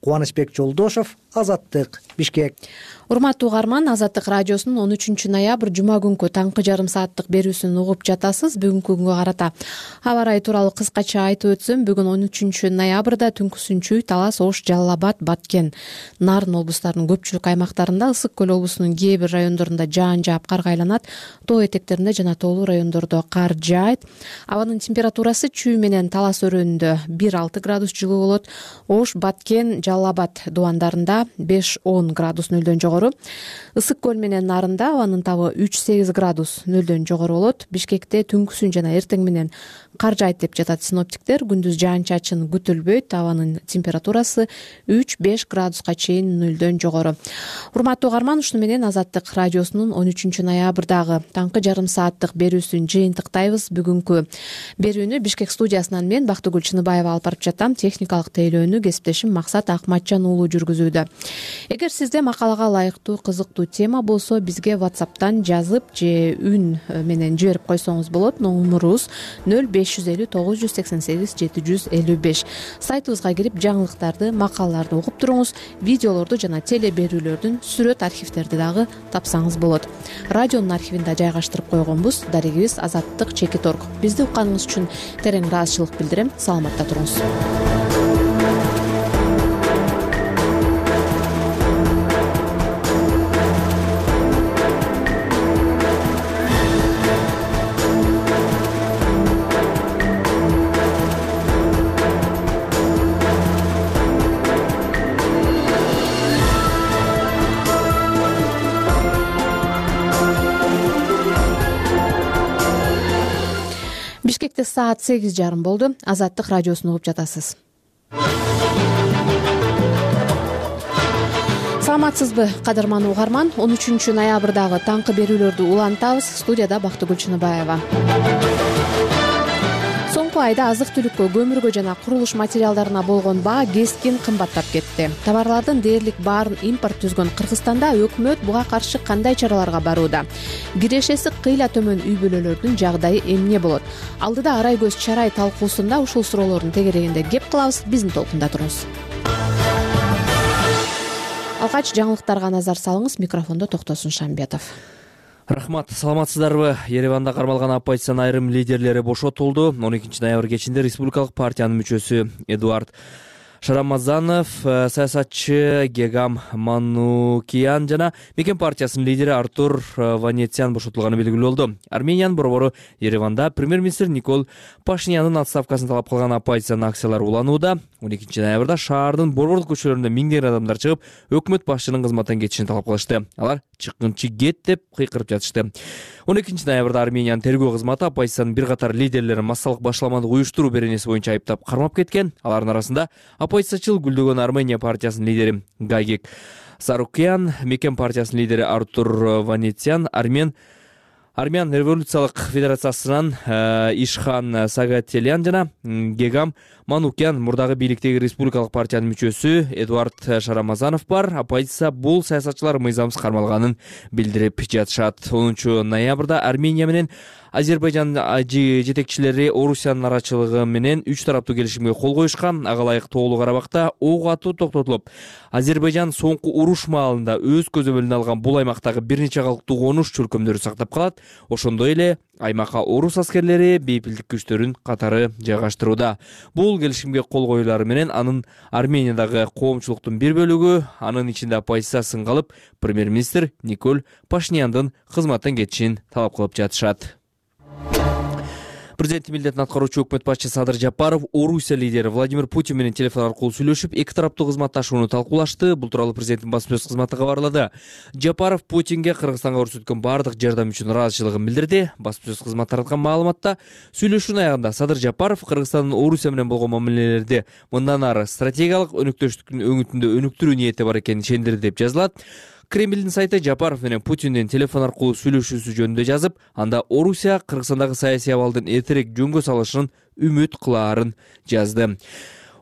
Кубанычбек Жолдошов, Азаттык, Бишкек. Урматтуу угарман, Азаттык радиосунун 13 ноябрь жума күнкү таңкы жарым сааттык берүүсүн угуп жатасыз. Бүгүнкү күнгө карата аба ырайы тууралуу кыскача айтып өтсөм, бүгүн 13 ноябрда Түнкү-Сүнчүй, Талас, Ош, Жалал Абад, Баткен, Нарын облустарынын көпчүлүк аймактарында, Ысык көл облусунун кээ бир райондорунда жаан жаап карга айланат. Тоо этектеринде жана тоолуу райондордо кар жаайт. Абанын температурасы Чүй менен Талас өрөөнүндө 1-6 градус жылуу болот. Ош, Баткен, Жалал Абад дубандарында Самаркандта 5-10 градус нөлдөн жогору. Ысык көл менен нарында абанын табы 3-8 градус нөлдөн жогору болот. Бишкекте түнкүсүн жана эртең менен кар жаайт деп жатат синоптиктер. Күндүз жаан-чачын күтүлбөйт. Абанын температурасы 3-5 градуска чейин нөлдөн жогору. Урматтуу угарман, ушуну менен Азаттык радиосунун 13 ноябрдагы таңкы жарым сааттык берүүсүн жыйынтыктайбыз. Бүгүнкү берүүнү Бишкек студиясынан мен Бактыгүл Чыныбаева алып барып жатам. Техникалык тейлөөнү кесиптешим Максат Акматжан уулу жүргүзүүдө. Эгер сизде макалага ылайыктуу кызыктуу тема болсо, бизге WhatsApp'тан жазып же үн менен жиберип койсоңуз болот. Номурубуз 0550 988 755. Сайтыбызга кирип жаңылыктарды, макалаларды угуп туруңуз. Видеолорду жана теле берүүлөрдүн сүрөт архивдерди дагы тапсаңыз болот. Радионун архивинде жайгаштырып койгонбуз. Дарегибиз azattik.org. Бизди укканыңыз үчүн терең ыраазычылык билдирем. Саламатта туруңуз. Бишкекте саат 8:30 болду. Азаттык радиосун угуп жатасыз. Саламатсызбы, кадырман угарман? 13 ноябрдагы таңкы берүүлөрдү улантабыз. Студияда Бактыгүл Чыныбаева. Соңку айда азык-түлүккө, көмүргө жана курулуш материалдарына болгон баа кескин кымбаттап кетти. Товарлардын дээрлик баарын импорт түзгөн Кыргызстанда өкмөт буга каршы кандай чараларга барууда? Кирешеси кыйла төмөн үй бүлөлөрдүн жагдайы эмне болот? Алдыда арай көз чарай талкуусунда ушул суроолордун тегерегинде кеп кылабыз. Биздин толкунда туруңуз. Алгач жаңылыктарга назар салыңыз. Микрофондо Токтосун Шамбетов. Рахмат, саламатсыздарбы? Ереванда кармалган оппозициянын айрым лидерлери бошотулду. 12 ноябрь кечинде Республикалык партиянын мүчөсү Эдуард Шарамазанов, саясатчы Гегам Манукян жана Мекен партиясынын лидери Артур Ванетян бошотулганы белгилүү болду. Армениянын борбору Ереванда премьер-министр Никол Пашинянын отставкасын талап кылган оппозициянын акциялары уланууда. 12 ноябрда шаардын борбордук көчөлөрүндө миңдеген адамдар чыгып, өкмөт башчынын кызматтан кетишин талап кылышты. Алар чыккынчы кет деп кыйкырып жатышты. 12 ноябрда Армениянын тергөө кызматы оппозициянын бир катар лидерлерин массалык башаламандык уюштуруу беренеси боюнча айыптап кармап кеткен. Алардын арасында оппозициячыл Гүлдөгөн Армения партиясынын лидери Гагик Сарукян, Мекен партиясынын лидери Артур Ванетян, Армян революциялык федерациясынан Ишхан Сагателян жана Гегам Манукян, мурдагы бийликтеги Республикалык партиянын мүчөсү Эдуард Шарамазанов бар. Оппозиция бул саясатчылар мыйзамсыз кармалганын билдирип жатышат. 10 ноябрда Армения менен Азербайжан жетекчилери Орусиянын арачылыгы менен 3 тараптуу келишимге кол коюшкан. Ага ылайык Тоолуу Карабакта ок атуу токтотулуп, Азербайжан соңку уруш маалында өз көзөмөлүнө алган бул аймактагы бир нече калктуу конуш чөлкөмдөрү сактап калат. Ошондой эле аймакка орус аскерлери бейпилдик күчтөрүн катары жайгаштырууда. Бул келишимге кол коюлары менен анын Армениядагы коомчулуктун бир бөлүгү, анын ичинде оппозиция сынга алып, премьер-министр Никол Пашиняндын кызматтан кетишин талап кылып жатышат. Президенттин милдетин аткаруучу өкмөт башчысы Садыр Жапаров Орусия лидери Владимир Путин менен телефон аркылуу сүйлөшүп, эки тараптуу кызматташууну талкуулашты. Бул тууралуу президенттин басма сөз кызматы кабарлады. Жапаров Путинге Кыргызстанга көрсөткөн бардык жардам үчүн ыраазычылыгын билдирди. Басма сөз кызматы тараткан маалыматта сүйлөшүүнүн аягында Садыр Жапаров Кыргызстандын Орусия менен болгон мамилелерди мындан ары стратегиялык өнөктөштүктүн өңүтүндө өнүктүрүү ниети бар экенин ишендирди деп жазылат. Кремлдин сайты Жапаров менен Путиндин телефон аркылуу сүйлөшүүсү жөнүндө жазып, анда Орусия Кыргызстандагы саясий абалдын эртерээк жөнгө салышын үмүт кылаарын жазды.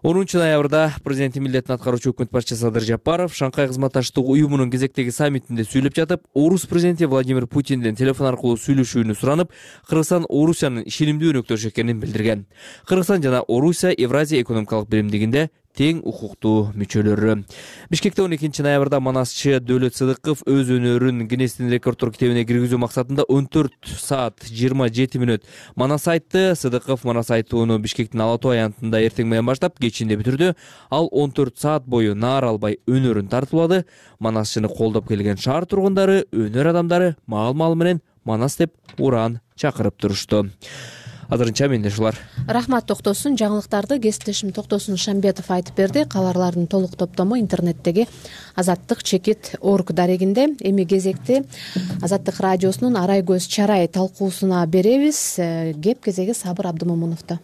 10 ноябрда президенттин милдетин аткаруучу өкмөт башчысы Садыр Жапаров Шанхай кызматташтык уюмунун кезектеги саммитинде сүйлөп жатып, Орус президенти Владимир Путинден телефон аркылуу сүйлөшүүнү суранып, Кыргызстан Орусиянын ишенимдүү өнөктөшү экенин билдирген. Кыргызстан жана Орусия Евразия экономикалык биримдигинде тең укуктуу мүчөлөрү. Бишкекте 12 ноябрда манасчы Дөөлөт Сыдыков өз өнөрүн Гиннестин рекорддор китебине киргизүү максатында 14 саат 27 мүнөт манас айтты. Сыдыков манас айтууну Бишкектин Ала Тоо аянтында эртең менен баштап кечинде бүтүрдү. Ал 14 саат бою наар албай өнөрүн тартуулады. Манасчыны колдоп келген шаар тургундары, өнөр адамдары маал-маал менен манас деп ураан чакырып турушту. азырынча менде ушулар. Рахмат Токтосун. Жаңылыктарды кесиптешим Токтосун Шамбетов айтып берди. Кабарлардын толук топтому интернеттеги azattik.org дарегинде. Эми кезекти Азаттык радиосунун Арай көз чарай талкуусуна беребиз. Кеп кезеги Сабыр Абдымомуновдо.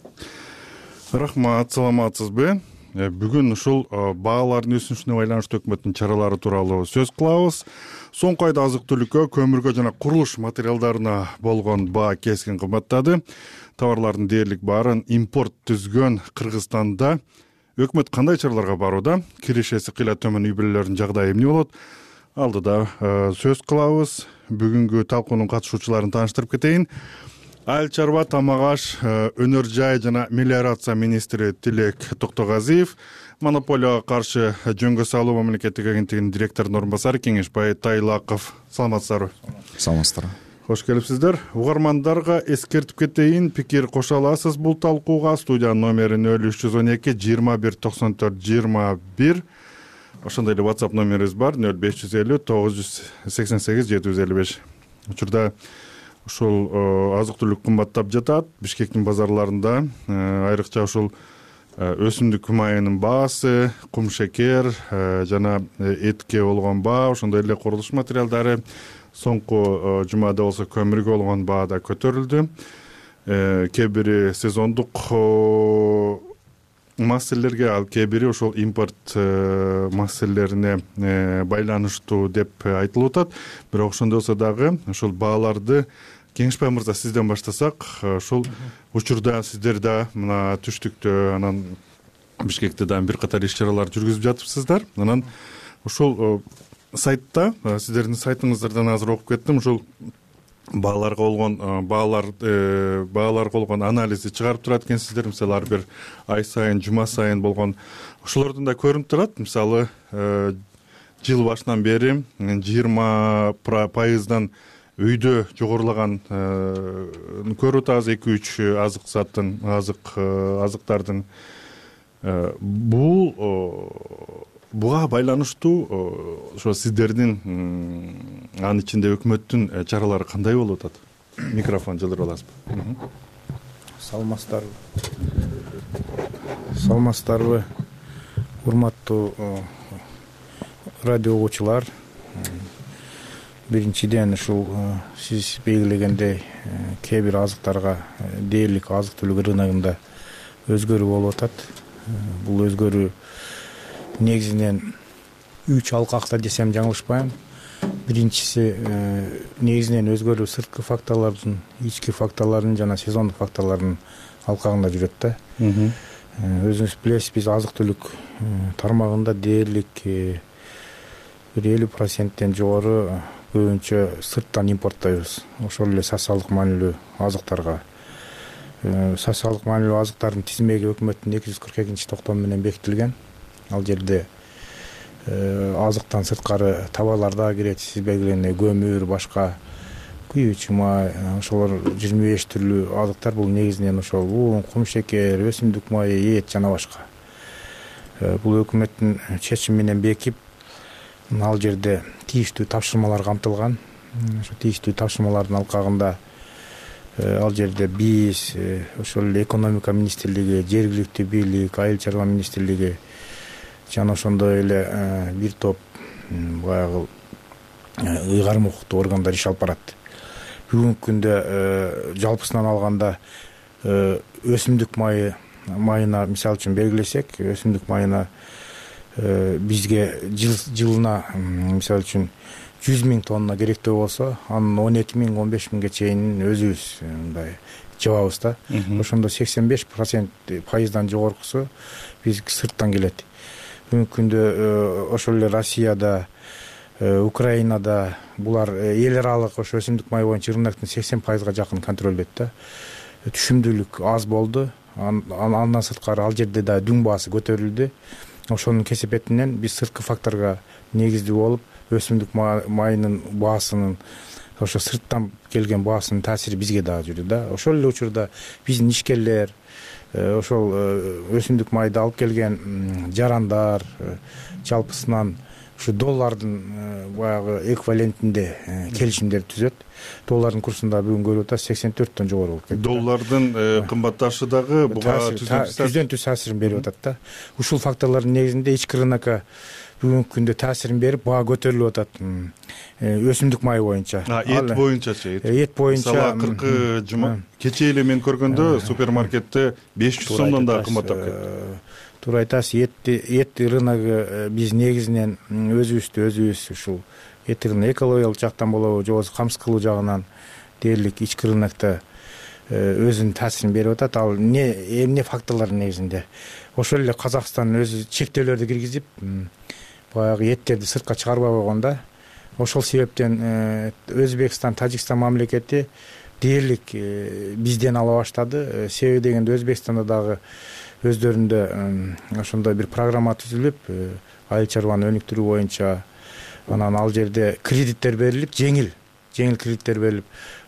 Рахмат, саламатсызбы? Бүгүн ушул баалардын өсүшүнө байланыштуу өкмөттүн чаралары тууралуу сөз кылабыз. Соңку айда азык-түлүккө, көмүргө жана курулуш материалдарына болгон баа кескин кымбаттады. Товарлардын дээрлик баарын импорт түзгөн Кыргызстанда өкмөт кандай чараларга барууда? Киришеси кыйла төмөн үй бүлөлөрүнүн жагдайы эмне болот? Алдыда сөз кылабыз. Бүгүнкү талкуунун катышуучуларын тааныштырып кетейин. Айыл чарба, тамак аш, өнөр жай жана мелиорация министри Тилек Токтогазиев, монополияга каршы жөнгө салуу мамлекеттик агенттигинин директорунун орун басары Кеңешбай Тайлаков. Саламатсыздарбы? Саламатсыздар. Кош келипсиздер. Угармандарга эскертип кетейин, пикир кошо аласыз бул талкууга. Студиянын номери 0312 21 94 21. Ошондой эле WhatsApp номерибиз бар 0550 988 755. Учурда ушул азык-түлүк кымбаттап жатат. Бишкектин базарларында айрыкча ушул өсүмдүк майынын баасы, кум шекер жана этке болгон баа, ошондой эле курулуш материалдары, соңку жумада болсо көмүргө болгон баа да көтөрүлдү. Кээ бири сезондук маселелерге, ал кээ бири ошол импорт маселелерине байланыштуу деп айтылып атат. Бирок ошондой болсо дагы ошол бааларды Кеңешбай мырза сизден баштасак, ушул учурда сиздер да мына түштүктө, анан Бишкекте да бир катар иш-чаралар жүргүзүп жатыпсыздар. Анан ушул сайтта, сиздердин сайтыңыздардан азыр окуп кеттим, ушул бааларга болгон анализди чыгарып турат экенсиздер. Мисалы ар бир ай сайын, жума сайын болгон ошолордун да көрүнүп турат. Мисалы жыл башынан бери 20% үйдө жогорулаган көрүп атабыз 2-3 азыктардын. Буга байланыштуу ошо сиздердин анын ичинде өкмөттүн чаралары кандай болуп атат? Микрофон жылдырып аласызбы? Саламатсыздарбы, урматтуу радио угуучулар. Биринчиден ушул сиз белгилегендей кээ бир азыктарга дээрлик азык-түлүк рыногунда өзгөрүү болуп атат. Бул өзгөрүү негизинен 3 алкакта десем жаңылышпайм. Биринчиси негизинен өзгөрүү сырткы факторлордун, ички факторлордун жана сезондук факторлордун алкагында жүрөт да. Өзүңүз билесиз, биз азык-түлүк тармагында дээрлик бир 50%тен жогору көбүнчө сырттан импорттойбуз. Ошол эле социалдык маанилүү азыктарга. Социалдык маанилүү азыктардын тизмеги өкмөттүн 242-токтому менен бекитилген. Ал жерде азыктан сырткары товарлар да кирет, сиз белгилегендей көмүр, башка күйүүчү май, ошолор 25 түрлүү азыктар. Бул негизинен ошол un, кум шекер, өсүмдүк майы, эт жана башка. Бул өкмөттүн чечими менен бекип, ал жерде тийиштүү тапшырмалар камтылган. Ошо тийиштүү тапшырмалардын алкагында ал жерде биз, ошол эле экономика министрлиги, жергиликтүү бийлик, айыл чарба министрлиги жана ошондой эле бир топ баягы ыйгарым укуктуу органдар иш алып барат. Бүгүнкү күндө жалпысынан алганда өсүмдүк майына мисалы үчүн белгилесек, өсүмдүк майына бизге жылына мисалы үчүн 100 000 тонна керектүү болсо, анын 17 000, 15 000ге чейин өзүбүз мындай жабабыз да. Ошондо 85% жогоркусу биз сырттан келет. Бүгүнкү күндө ошол эле Россияда, Украинада булар эл аралык ошо өсүмдүк май боюнча рыноктун 80%га жакын контролдойт да. Түшүмдүүлүк аз болду. Андан сырткары ал жерде да дүң баасы көтөрүлдү. Ошонун кесепетинен биз сырткы факторго негиздүү болуп, өсүмдүк майынын баасынын, ошо сырттан келген баасынын таасири бизге дагы жүрдү да. Ошол эле учурда биздин ишкерлер, ошол өсүмдүк майды алып келген жарандар жалпысынан ушу доллардын баягы эквивалентинде келишимдер түзөт. Доллардын курсунда бүгүн көрүп атабыз 84төн жогору болуп кетти. Доллардын кымбатташы дагы буга түздөн түз таасирин берип атат да. Ушул факторлордун негизинде ички рынокко бүгүнкү күндө таасирин берип, баа көтөрүлүп атат. Өсүмдүк майы боюнча. Эт боюнчачы? Эт боюнча мисалы 40 жума кечээ эле мен көргөндө супермаркетте 500 сомдон да кымбаттап кетти. Туура айтасыз. Эт рыногу биз негизинен өзүбүз ушул эт рыногу экологиялык жактан болобу, же болбосо камсыз кылуу жагынан дээрлик ички рынокто өзүнүн таасирин берип атат. Ал эмне факторлордун негизинде? Ошол эле Казакстан өзү чектөөлөрдү киргизип, баягы эттерди сыртка чыгарбай койгон да. Ошол себептен Өзбекстан, Тажикстан мамлекети дээрлик бизден ала баштады. Себеби дегенде Өзбекстанда дагы өздөрүндө ошондой бир программа түзүлүп, айыл чарбаны өнүктүрүү боюнча анан ал жерде кредиттер берилип, жеңил кредиттер берилип,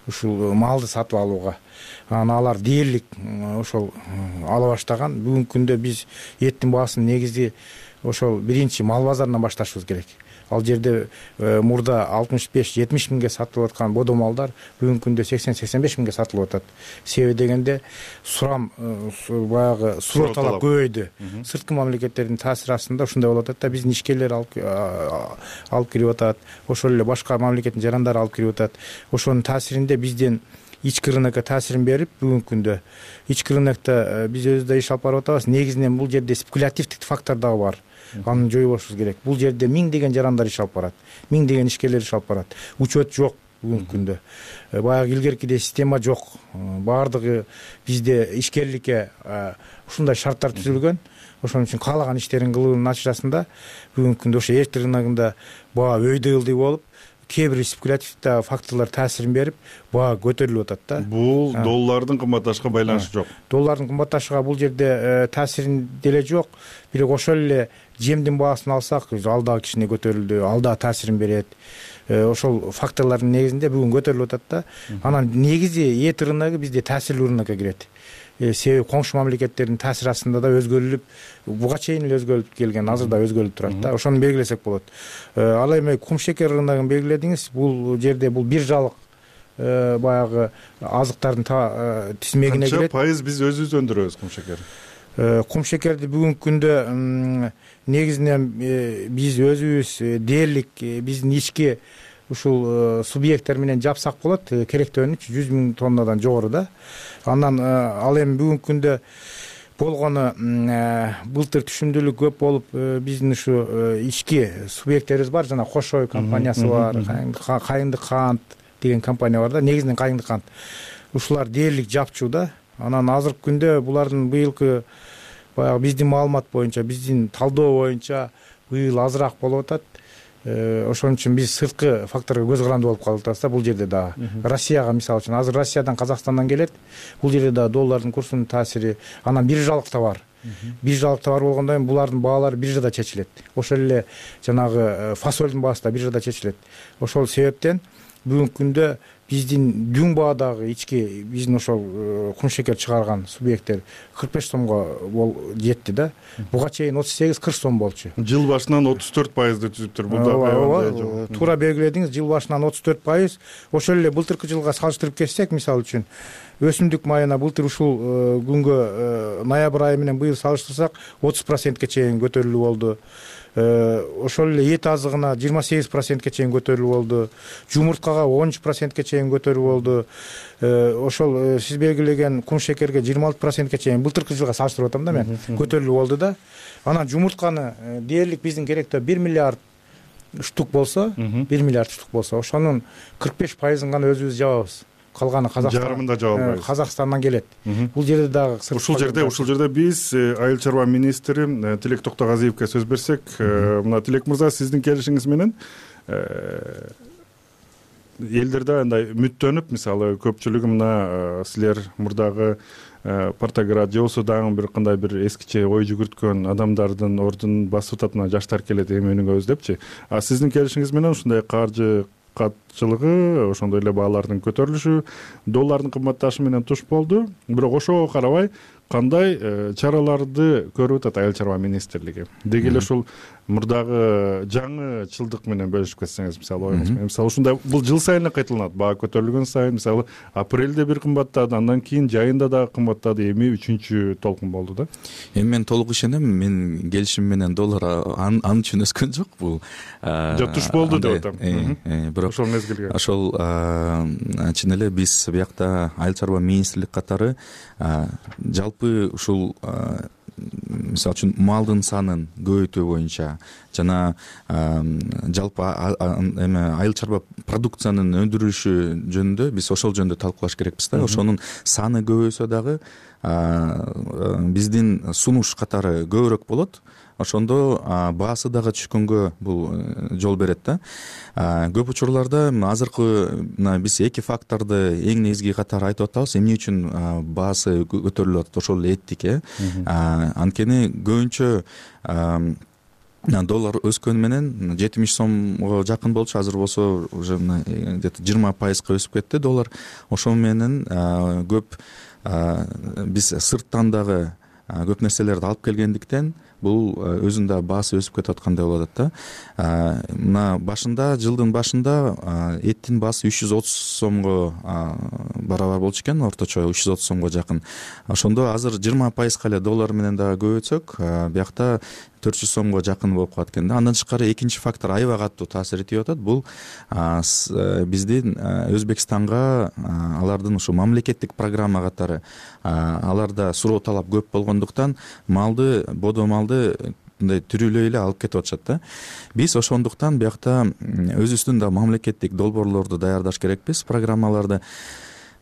ушул малды сатып алууга. Анан алар дээрлик ошол ала баштаган. Бүгүнкү күндө биз эттин баасын негизи ошол биринчи мал базарынан башташыбыз керек. Ал жерде мурда 65-70 миңге сатылып аткан бодо малдар бүгүнкү күндө 80-85 миңге сатылып атат. Себеби дегенде баягы суроо талап көбөйдү. Сырткы мамлекеттердин таасири астында ушундай болуп атат да, биздин ишкерлер алып кирип атат, ошол эле башка мамлекеттин жарандары алып кирип атат. Ошонун таасиринде биздин ички рынокко таасирин берип, бүгүнкү күндө ички рынокто биз өзүбүз иш алып барып атабыз. Негизинен бул жерде спекулятивдик фактор дагы бар. Аны жоюбашыбыз керек. Бул жерде миңдеген жарандар иш алып барат, миңдеген ишкерлер иш алып барат. Учет жок бүгүнкү күндө. Баягы илгеркидей система жок. Баардыгы бизде ишкерликке ушундай шарттар түзүлгөн. Ошон үчүн каалаган иштерин кылуунун натыйжасында бүгүнкү күндө ошо эт рыногунда баа өйдө-ылдый болуп, кээ бир спекулятивдүү факторлор таасирин берип, баа көтөрүлүп атат да. Бул доллардын кымбатташыга байланышы жок. Доллардын кымбатташыга бул жерде таасирин деле жок. Бирок ошол эле жемдин баасын алсак, ал дагы кичине көтөрүлдү, ал дагы таасирин берет. Ошол факторлордун негизинде бүгүн көтөрүлүп атат да. Анан негизи эт рыногу бизде таасирлүү рынокко кирет. Себеби коңшу мамлекеттердин таасири астында да өзгөрүлүп, буга чейин эле өзгөрүлүп келген, азыр да өзгөрүлүп турат да. Ошону белгилесек болот. Ал эми кум шекер рыногун белгиледиңиз. Бул жерде бул биржалык баягы азыктардын тизмегине кирет. Канча пайыз биз өзүбүз өндүрөбүз кум шекерди? Кум шекерди бүгүнкү күндө негизинен биз өзүбүз дээрлик биздин ички ушул субъекттер менен жапсак болот. Керектөөнү 100 миң тоннадан жогору да. Андан ал эми бүгүнкү күндө болгону былтыр түшүмдүүлүк көп болуп, биздин ушу ички субъекттерибиз бар, жана Кошой компаниясы бар, Кайыңдык кант деген компания бар да, негизинен Кайыңдык кант. Ушулар дээрлик жапчу да. Анан азыркы күндө булардын быйылкы баягы биздин маалымат боюнча, биздин талдоо боюнча быйыл азыраак болуп атат. Ошон үчүн биз сырткы факторго көз каранды болуп калып атабыз да. Бул жерде дагы Россияга мисалы үчүн азыр Россиядан, Казакстандан келет. Бул жерде дагы доллардын курсунун таасири, анан биржалык товар. Биржалык товар болгондон кийин булардын баалары биржада чечилет. Ошол эле жанагы фасолдун баасы да биржада чечилет. Ошол себептен бүгүнкү күндө биздин дүң баадагы ички биздин ошол кум шекер чыгарган субъекттер 45 сомго жетти да. Буга чейин 38-40 сом болчу. Жыл башынан 34%ды түзүптүр. Бул да туура белгиледиңиз. Жыл башынан 34%. Ошол эле былтыркы жылга салыштырып кетсек, мисалы үчүн өсүмдүк майына былтыр ушул күнгө ноябрь айы менен быйыл салыштырсак 30%ке чейин көтөрүлүү болду. Ошол эле эт азыгына 28%ке чейин көтөрүлүү болду. Жумурткага 13%ке чейин көтөрүлүү болду. Ошол сиз белгилеген кум шекерге 26%ке чейин былтыркы жылга салыштырып атам да мен, көтөрүлүү болду да. Анан жумуртканы дээрлик биздин керектөө 1 миллиард штук болсо, 1 миллиард штук болсо, ошонун 45%-ын гана өзүбүз жабабыз. Калганы жарымында жаба албайбыз. Казакстандан келет. Бул жерде дагы ушул жерде биз айыл чарба министри Тилек Токтогазиевке сөз берсек, мына Тилек мырза, сиздин келишиңиз менен элдерде андай үмүттөнүп, мисалы көпчүлүгү мына силер мурдагы Партаград же болбосо дагы бир кандай бир эскиче ой жүгүрткөн адамдардын ордун басып атат, мына жаштар келет эмгөнүңөз депчи. А сиздин келишиңиз менен ушундай каржы катчылыгы, ошондой эле баалардын көтөрүлүшү, доллардын кымбатташы менен туш болду. Бирок ошого карабай кандай чараларды көрүп атат Айыл чарба министрлиги? Деги эле ушул мурдагы жаңы чылдык менен бөлүшүп кетсеңиз, мисалы оюңуз менен. Мисалы ушундай бул жыл сайын эле кайталанат. Баа көтөрүлгөн сайын, мисалы апрелде бир кымбаттады, андан кийин жайында дагы кымбаттады, эми 3-чү толкун болду да. Эми мен толук ишенем, мен келишим менен доллар ан үчүн өскөн жок. Бул туш болду деп атам. Бирок ошол мезгилге ошол чын эле биз биякта Айыл чарба министрлик катары жалпы ушул мисалы үчүн малдын санын көбөйтүү боюнча жана жалпы эме айыл чарба продукциянын өндүрүлүшү жөнүндө биз ошол жөнүндө талкуулаш керекпиз да. Ошонун саны көбөйсө дагы биздин сунуш катары көбүрөөк болот. Ошондо баасы дагы түшкөнгө бул жол берет да. Көп учурларда азыркы биз эки факторду эң негизги катары айтып атабыз. Эмне үчүн баасы көтөрүлүп атат? Ошол эттик. Анткени көбүнчө доллар өскөнү менен 70 сомго жакын болчу, азыр болсо уже где-то 20% өсүп кетти доллар. Ошол менен көп биз сырттан дагы көп нерселерди алып келгендиктен бул өзүнүн да баасы өсүп кетип аткандай болуп атат да. Мына башында, жылдын башында эттин баасы 330 сомго барабар болчу экен, орточо 330 сомго жакын. Ошондо азыр 20% эле доллар менен дагы көбөйтсөк, биякта 400 сомго жакын болуп калат экен да. Андан тышкары экинчи фактор аябай катуу таасир этип атат. Бул биздин Өзбекстанга алардын ушу мамлекеттик программа катары аларда суроо талап көп болгондуктан малды, бодо малды мындай түрүлөй эле алып кетип атышат да. Биз ошондуктан биякта өзүбүздүн да мамлекеттик долбоорлорду даярдаш керекпиз, программаларды.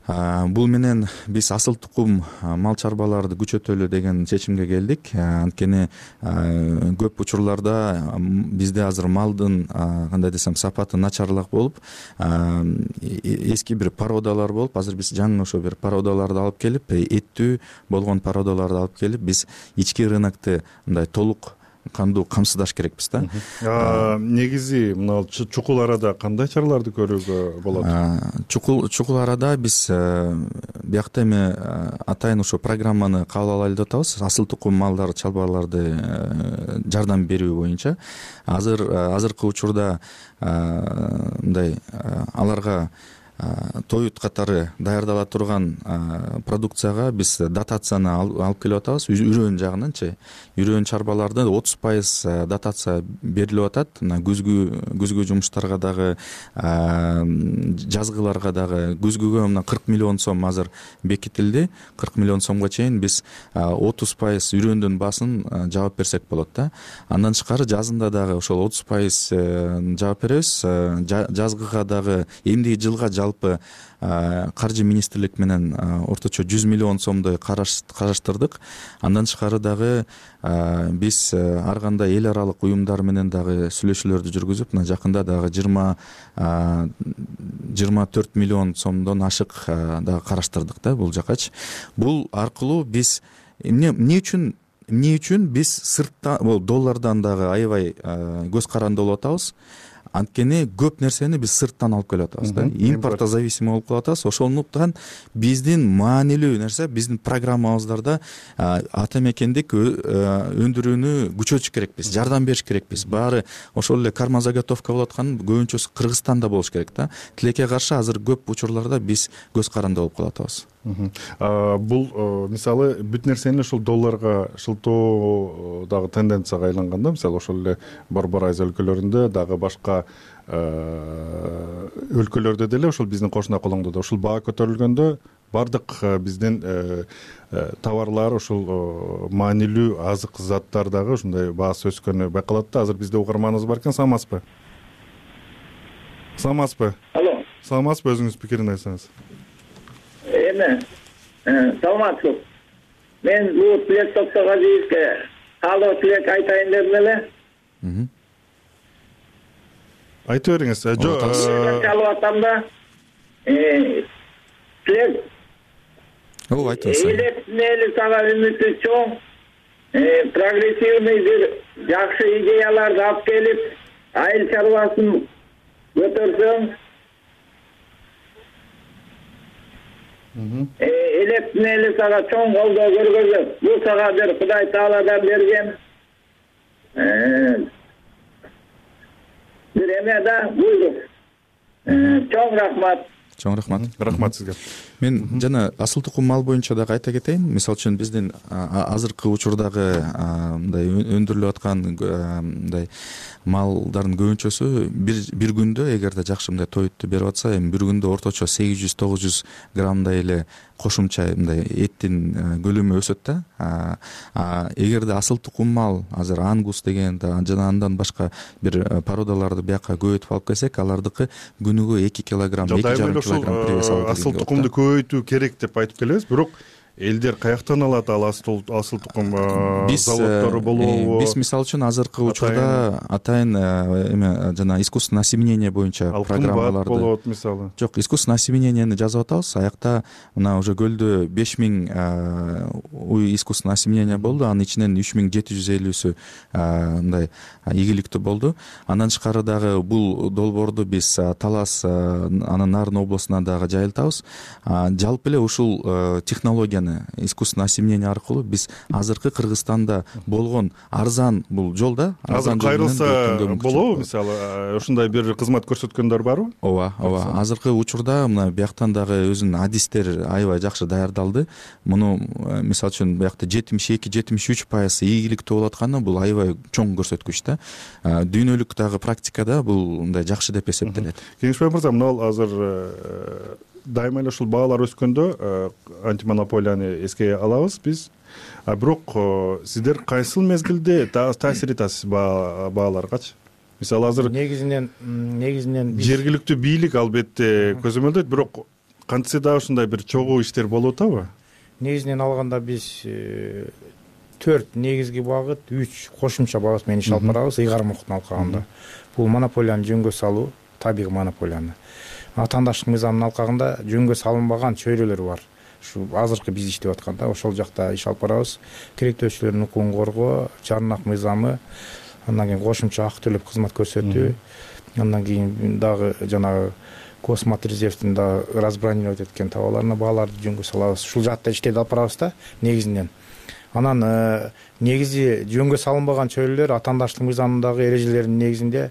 Бул менен биз асыл тукум мал чарбаларды күчөтөлү деген чечимге келдик. Анткени көп учурларда бизде азыр малдын кандай десем сапаты начарлак болуп, эски бир породалар болуп, азыр биз жаңы ошо бир породаларды алып келип, эттүү болгон породаларды алып келип, биз ички рынокты мындай толук кандуу камсыздаш керекпиз да. Негизи мына чукул арада кандай чараларды көрүүгө болот? Чукул арада биз биякта эми атайын ошо программаны кабыл алайлы деп атабыз. Асыл тукум малдар, чарбаларды жардам берүү боюнча. Азыркы учурда мындай аларга тоют катары даярдала турган продукцияга биз дотацияны алып келип атабыз. Үрөөн жагынанчы. Үрөөн чарбаларды 30% дотация берилип атат. Мына күзгү жумуштарга дагы, жазгыларга дагы. Күзгүгө мына 40 миллион сом азыр бекитилди. 40 миллион сомго чейин биз 30% үрөөндүн баасын жаап берсек болот да. Андан тышкары жазында дагы ошол 30% жаап беребиз. Жазгыга дагы эмдиги жылга жалпы каржы министрлик менен орточо 100 миллион сомдой караштырдык. Андан тышкары дагы биз ар кандай эл аралык уюмдар менен дагы сүйлөшүүлөрдү жүргүзүп, мына жакында дагы 24 миллион сомдон ашык дагы караштырдык да бул жакачы. Бул аркылуу биз эмне үчүн биз сырттан, доллардан дагы аябай көз каранды болуп атабыз. Анткени көп нерсени биз сырттан алып келип атабыз да. Импортко зависимый болуп калып атабыз. Ошондуктан биздин маанилүү нерсе, биздин программабыздарда ата мекендик өндүрүүнү күчөтүш керекпиз, жардам бериш керекпиз. Баары ошол эле карман заготовка болуп аткан көбүнчөсү Кыргызстанда болуш керек да. Тилекке каршы азыр көп учурларда биз көз каранды болуп калып атабыз. Бул мисалы бүт нерсени ошол долларга шылтоо дагы тенденцияга айланганда, мисалы ошол эле Борбор Айыз өлкөлөрүндө дагы башка өлкөлөрдө деле ошол биздин кошуна колоңдо да ушул баа көтөрүлгөндө бардык биздин товарлар, ошол маанилүү азык заттар дагы ушундай баасы өскөнү байкалат да. Азыр бизде угарманыбыз бар экен, саламатсызбы? Алло. Саламатсызбы, өзүңүз пикирин айтсаңыз. Саламатсыз. Мен бул Тилек Токтогазиевке каалоо тилек айтайын дедим эле. Айтып бериңиз. Каалоо атам да. Тилек. Айтыңыз. Эле сага үмүтү чоң. Прогрессивный бир жакшы идеяларды алып келип, айыл чарбасын көтөрсөң. электин эли сага чоң колдоо көргөзөт. Бул сага бир Кудай Тааладан берген бир эме да, буйрук. Чоң рахмат. Чоң рахмат. Рахмат сизге. Мен жана асыл тукум мал боюнча дагы айта кетейин. Мисалы үчүн биздин азыркы учурдагы мындай өндүрүлүп аткан мындай малдардын көбүнчөсү бир күндө эгерде жакшы мындай тоютту берип атса, эми бир күндө орточо 800-900 граммдай эле кошумча мындай эттин көлөмү өсөт да. Эгерде асыл тукум мал азыр ангус деген жана андан башка бир породаларды бияка көбөйтүп алып келсек, алардыкы күнүгө 2 килограмм, 2,5 килограмм привес алып асыл тукумду көбөйтүү керек деп айтып келебиз, бирок элдер каяктан алат ал асыл тукум заводдору болобу? Биз мисалы үчүн азыркы учурда атайын эме жана искусственное осеменение боюнча программаларды болот мисалы. Жок, искусственное осеменениени жазып атабыз. Аякта мына уже көлдө 5000 уй искусственное осеменение болду. Анын ичинен 3750сү мындай ийгиликтүү болду. Андан тышкары дагы бул долбоорду биз Талас анын Нарын областына дагы жайылтабыз. Жалпы эле ушул технологияны искусственное осеменение аркылуу биз азыркы Кыргызстанда болгон арзан бул жол да, азыр кайрылса болобу мисалы, ушундай бир кызмат көрсөткөндөр барбы? Ооба. Азыркы учурда мына бияктан дагы өзүнүн адистер аябай жакшы даярдалды. Муну мисалы үчүн биякта 72-73% ийгиликтүү болуп атканы бул аябай чоң көрсөткүч да. Дүйнөлүк дагы практикада бул мындай жакшы деп эсептелет. Кеңешбай мырза, мына азыр дайыма эле ушул баалар өскөндө антимонополияны эске алабыз биз. Бирок сиздер кайсыл мезгилде таасир этасиз бааларгачы? Мисалы азыр негизинен жергиликтүү бийлик албетте көзөмөлдөйт, бирок кантсе да ушундай бир чогуу иштер болуп атабы? Негизинен алганда биз 4 негизги багыт, 3 кошумча багыт менен иш алып барабыз ыйгарым алкагында. Бул монополияны жөнгө салуу, табигый монополияны. Атаандаштык мыйзамдын алкагында жөнгө салынбаган чөйрөлөр бар. Ушу азыркы биз иштеп атканда ошол жакта иш алып барабыз. Керектөөчүлөрдүн укугун коргоо, жарнак мыйзамы, андан кийин кошумча акы төлөп кызмат көрсөтүү, андан кийин дагы жанагы Космат резервдин дагы разбронировать эткен товарларына бааларды жөнгө салабыз. Ушул жакта иштеп алып барабыз да негизинен. Анан негизи жөнгө салынбаган чөйрөлөр атаандаштык мыйзамындагы эрежелердин негизинде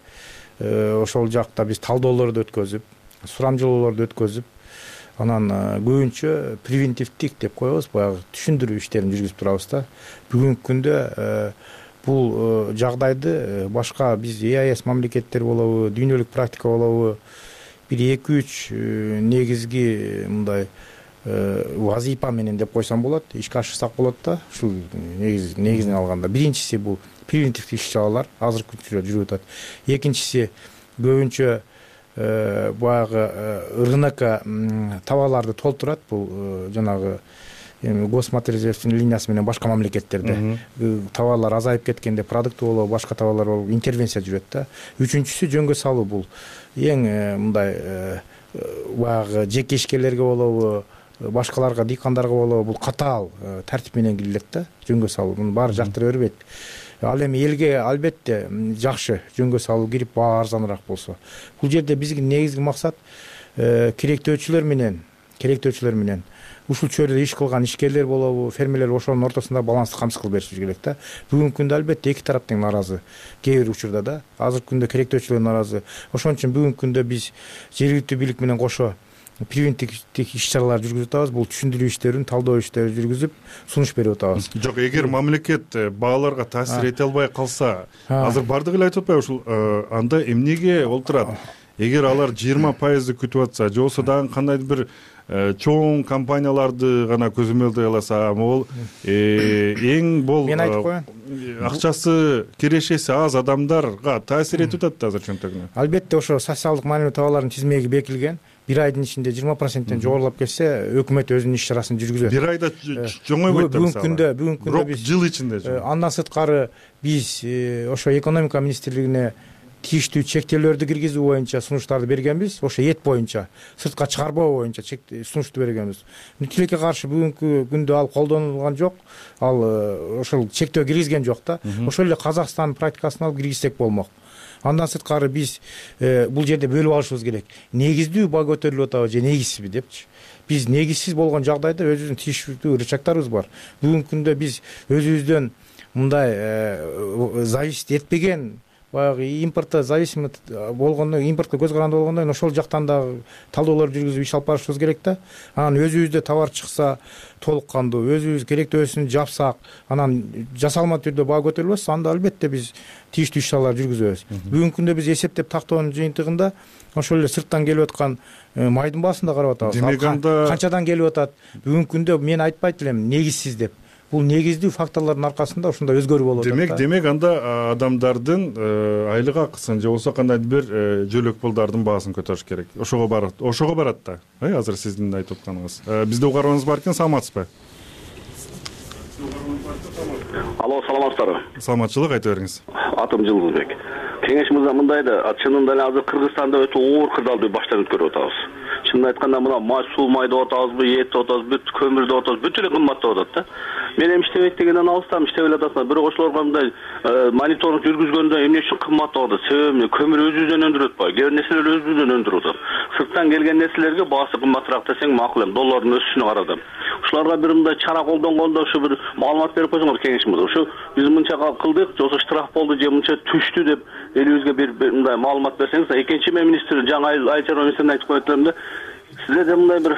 ошол жакта биз талдоолорду өткөзүп, сурамжылоолорду өткөзүп, анан көбүнчө превентивдик деп коебуз, баягы түшүндүрүү иштерин жүргүзүп турабыз да. Бүгүнкү күндө бул жагдайды башка биз ЕАЭС мамлекеттер болобу, дүйнөлүк практика болобу, бир 2-3 негизги мындай вазипа менен деп койсом болот, ишке ашырсак болот да. Ушул негизинен алганда биринчиси бул превентивдик иш-чаралар азыркы учурда жүрүп атат. Экинчиси көбүнчө баягы РНК товарларды толтурат. Бул жанагы Госматрезервдин линиясы менен башка мамлекеттерде товарлар азайып кеткенде продукты болобу, башка товарлар болобу интервенция жүрөт да. Үчүнчүсү жөнгө салуу, бул эң мындай баягы жеке ишкерлерге болобу, башкаларга, дыйкандарга болобу бул катаал тартип менен кирилет да, жөнгө салуу. Муну баары жактыра бербейт. Ал эми элге албетте жакшы жөнгө салуу кирип баа арзаныраак болсо. Бул жерде биздин негизги максат керектөөчүлөр менен ушул чөйрөдө иш кылган ишкерлер болобу, фермерлер ошонун ортосунда балансты камсыз кылып беришибиз керек да. Бүгүнкү күндө албетте эки тарап тең нааразы. Кээ бир учурда да, азыркы күндө керектөөчүлөр нааразы. Ошон үчүн бүгүнкү күндө биз жергиликтүү бийлик менен кошо превентивдик иш-чаралар жүргүзүп атабыз. Бул түшүндүрүү иштерин, талдоо иштерин жүргүзүп, сунуш берип атабыз. Жок, эгер мамлекет бааларга таасир эте албай калса, азыр бардыгы эле айтып атпайбы, ушул анда эмнеге олтурат? Эгер алар 20% күтүп атса, же болбосо дагы кандайдыр бир чоң компанияларды гана көзөмөлдөй аласа, могул эң бул мен айтып коеюн, акчасы кирешеси аз адамдарга таасир этип атат да азыр чөнтөгүнө. Албетте ошо социалдык маанилүү товарлардын тизмеги бекилген. Бир айдын ичинде 20%-тен жогорулап кетсе, өкмөт өзүнүн иш-чарасын жүргүзөт. Бир айда жоңойбойт да мисалы. Бүгүнкү күндө биз жыл ичинде. Андан сырткары биз ошо экономика министрлигине тийиштүү чектөөлөрдү киргизүү боюнча сунуштарды бергенбиз. Ошо эт боюнча, сыртка чыгарбоо боюнча сунушту бергенбиз. Тилекке каршы бүгүнкү күндө ал колдонулган жок. Ал ошол чектөө киргизген жок да. Ошол эле Казакстандын практикасын алып киргизсек болмок. Андан сырткары биз бул жерде бөлүп алышыбыз керек. Негиздүү баа көтөрүлүп атабы же негизсизби депчи. биз негизсиз болгон жагдайда өзүбүздүн тийиштүү рычагдарыбыз бар. Бүгүнкү күндө биз өзүбүздөн мындай зависить этпеген, баягы импортто зависимый болгондон, импортко көз каранды болгондон ошол жактан дагы талоолор жүргүзүп иш алып барышыбыз керек да. Анан өзүбүздө товар чыкса толук кандуу, өзүбүз керектөөсүн жапсак, анан жасалма түрдө баа көтөрүлбөс, анда албетте биз тийиштүү иш чаралар жүргүзөбүз. Бүгүнкү күндө биз эсептеп тактоонун жыйынтыгында ошол эле сырттан келип аткан майдын баасын да карап атабыз. Демек анда канчадан келип атат? Бүгүнкү күндө мен айтпайт элем негизсиз деп. Бул негиздүү факторлордун аркасында ушундай өзгөрүү болуп атат. Демек анда адамдардын айлык акысын же болбосо кандайдыр бир жөлөк пулдардын баасын көтөрүш керек. Ошого барат да. Азыр сиздин айтып атканыңыз. Бизде угарманыбыз бар экен, саламатсызбы? Алло, саламатсыздарбы? Саламатчылык, айта бериңиз. Атым Жылдызбек. Кеңеш мырза мындай да, чынында эле азыр Кыргызстанда өтө оор кырдаалдуу баштан өткөрүп атабыз. Чынын айтканда мына май, суу майды атабызбы, эт атабызбы, көмүрдү атабыз, бүт эле кымбаттап атат да. Мен эми иштебейт дегенден алыстам, иштеп эле атасың. Бирок ошолорго мындай мониторинг жүргүзгөндө эмне үчүн кымбаттап атат? Себеби көмүр өзүбүздөн өндүрүп атпайбы? Кээ бир нерселер өзүбүздөн өндүрүп атат. Сырттан келген нерселерге баасы кымбатыраак десең макул эми, доллардын өсүшүнө карап. Ушуларга бир мындай чара колдонгондо ушу бир маалымат берип койсоңор кеңеш мырза. Ушу биз мынча кылдык, же болбосо штраф болду, же мынча түштү деп элибизге бир мындай маалымат берсеңиз. Экинчи мен министр жаңы айыл чарба министрине айтып коет элем да. Сиздерде мындай бир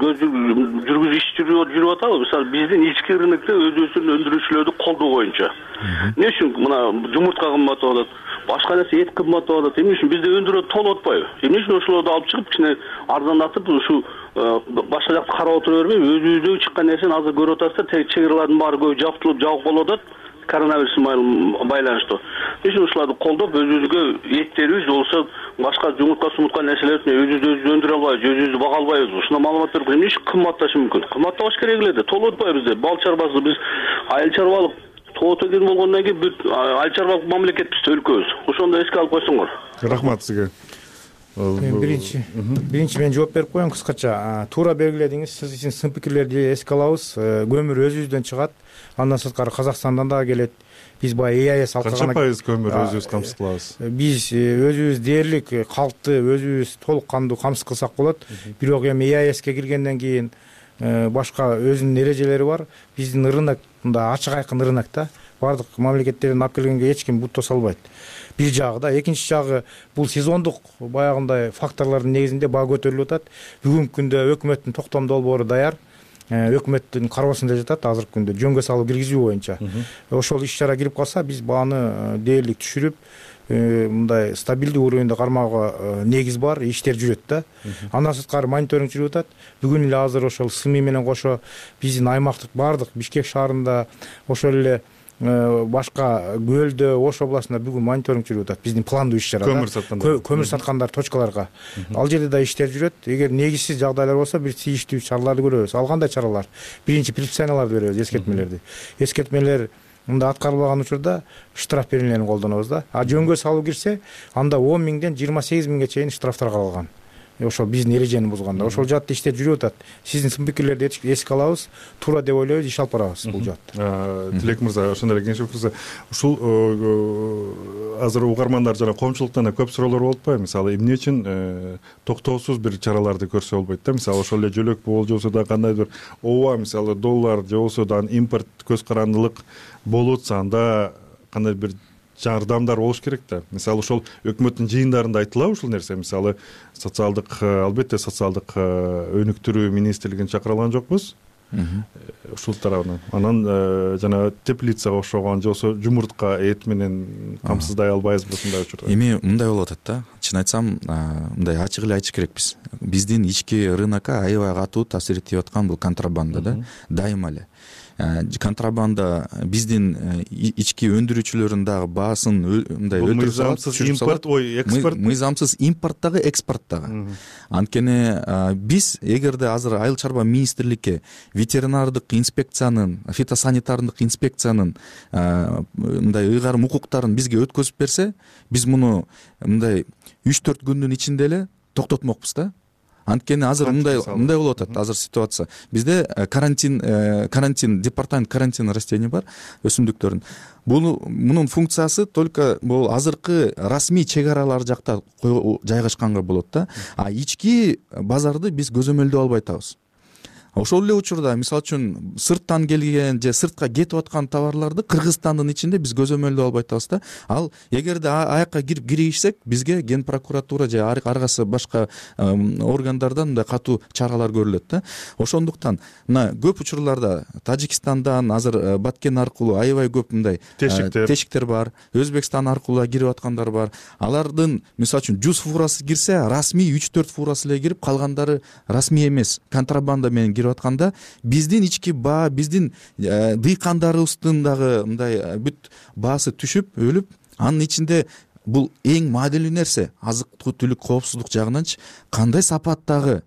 жүргүзүү иш жүрүп атабы? Мисалы биздин ички рынокто өзүбүздүн өндүрүүчүлөрдү колдоо боюнча. Эмне үчүн мына жумуртка кымбаттап атат, башка нерсе эт кымбаттап атат? Эмне үчүн бизде өндүрөт толуп атпайбы? Эмне үчүн ошолорду алып чыгып кичине арзандатып ушу башка жакты карап отура бербей, өзүбүздөн чыккан нерсени азыр көрүп атасыздар, чек чыгаралардын баары көбү жабылып болуп атат. Коронавирус байланыштуу. Ошол ушуларды колдоп, өзүбүзгө эттерибиз болсо башка жумуртка нерселерди өзүбүз өндүрө албайбыз, өзүбүздү бага албайбыз. Ушуна маалымат берип, эмне үчүн кымбатташы мүмкүн? Кымбаттабаш керек эле да, толуп атпайбы бизде. Бал чарбасы биз айыл чарбалык тоо төгөн болгондон кийин бүт айыл чарбалык мамлекетпиз, өлкөбүз. Ошондо эске алып койсоңор. Рахмат сизге. Биринчи мен жооп берип коеюн кыскача. Туура белгиледиңиз, сиздин сын пикирлерди эске алабыз. Көмүр өзүбүздөн чыгат. Андан сырткары Казакстандан дагы келет. Биз баягы ЭАЭС канча пайыз көмүр өзүбүз камсыз кылабыз? Биз өзүбүз дээрлик калкты өзүбүз толук кандуу камсыз кылсак болот. Бирок эми ЭАЭСке киргенден кийин башка өзүнүн эрежелери бар. Биздин рынок мындай ачык айкын рынок да. Бардык мамлекеттерден алып келгенге эч ким бут тоса албайт. Бир жагы да, экинчи жагы бул сезондук баягындай факторлордун негизинде баа көтөрүлүп атат. Бүгүнкү күндө өкмөттүн токтом долбоору даяр. Өкмөттүн кароосунда жатат азыркы күндө жөнгө салуу киргизүү боюнча. Ошол иш чара кирип калса, биз бааны дээрлик түшүрүп, мындай стабилдүү уровеньде кармоого негиз бар, иштер жүрөт да. Андан сырткары мониторинг жүрүп атат. Бүгүн эле азыр ошол СМИ менен кошо биздин аймактык бардык Бишкек шаарында, ошол эле башка Көлдө, Ош областында бүгүн мониторинг жүрүп атат. Биздин пландуу иш чара. Көмүр саткандар точкаларга. Ал жерде да иштер жүрөт. Эгер негизсиз жагдайлар болсо, бир тийиштүү чараларды көрөбүз. Ал кандай чаралар? Биринчи предписанияларды беребиз, эскертмелерди. Эскертмелер мында аткарылбаган учурда штраф беренелерин колдонобуз да. А жөнгө салуу кирсе, анда 10 миңден 28 миңге чейин штрафтар каралган. Ошол биздин эрежени бузганда. Ошол жаатта иштер жүрүп атат. Сиздин сын пикирлерди эске алабыз, туура деп ойлойбуз, иш алып барабыз бул жаатта. Тилек мырза, ошондой эле кеңеш берсеңиз, ушул азыр угармандар жана коомчулуктан да көп суроолор болуп атпайбы? Мисалы, эмне үчүн токтоосуз бир чараларды көрсө болбойт да? Мисалы, ошол эле жөлөк болсо, же болсо да кандайдыр ооба, мисалы, доллар же болсо да импорт көз карандылык болуп атса, анда кандай бир жардамдар болуш керек да. Мисалы, ошол өкмөттүн жыйындарында айтылабы ушул нерсе? Мисалы, албетте социалдык өнүктүрүү министрлигин чакыра алган жокпуз. Ушул тарабынан. Анан жана теплицага окшогон же болсо жумуртка, эт менен камсыздай албайбызбы ушундай учурда? Эми мындай болуп атат да. Чын айтсам, мындай ачык эле айтыш керекпиз. Биздин ички рынокко аябай катуу таасир этип аткан бул контрабанда да. Дайыма эле. Контрабанда биздин ички өндүрүүчүлөрдүн дагы баасын мындай өтүрүп салат. Экспорт. Мыйзамсыз импорт дагы, экспорт дагы. Анткени биз эгерде азыр айыл чарба министрликке ветеринардык инспекциянын, фитосанитардык инспекциянын мындай ыйгарым укуктарын бизге өткөзүп берсе, биз муну мындай 3-4 күндүн ичинде эле токтотмокпуз да. анткени азыр мындай болуп атат азыр ситуация. Бизде карантин департамент карантин растений бар өсүмдүктөрдүн. Мунун функциясы только бул азыркы расмий чек аралар жакта жайгашканга болот да. А ички базарды биз көзөмөлдөй албай атабыз. Ошол эле учурда мисалы үчүн сырттан келген же сыртка кетип аткан товарларды Кыргызстандын ичинде биз көзөмөлдөй албай атабыз да. Ал эгерде аяка киришсек, бизге Ген прокуратура же ар кайсы башка органдардан мындай катуу чаралар көрүлөт да. Ошондуктан мына көп учурларда Тажикстандан азыр Баткен аркылуу аябай көп мындай тешиктер бар. Өзбекстан аркылуу кирип аткандар бар. Алардын мисалы үчүн 100 фурасы кирсе, расмий 3-4 фурасы эле кирип, калгандары расмий эмес, контрабанда менен атканда биздин ички баа, биздин дыйкандарыбыздын дагы мындай бүт баасы түшүп, өлүп, анын ичинде бул эң маанилүү нерсе азык-түлүк коопсуздук жагынанчы кандай сапаттагы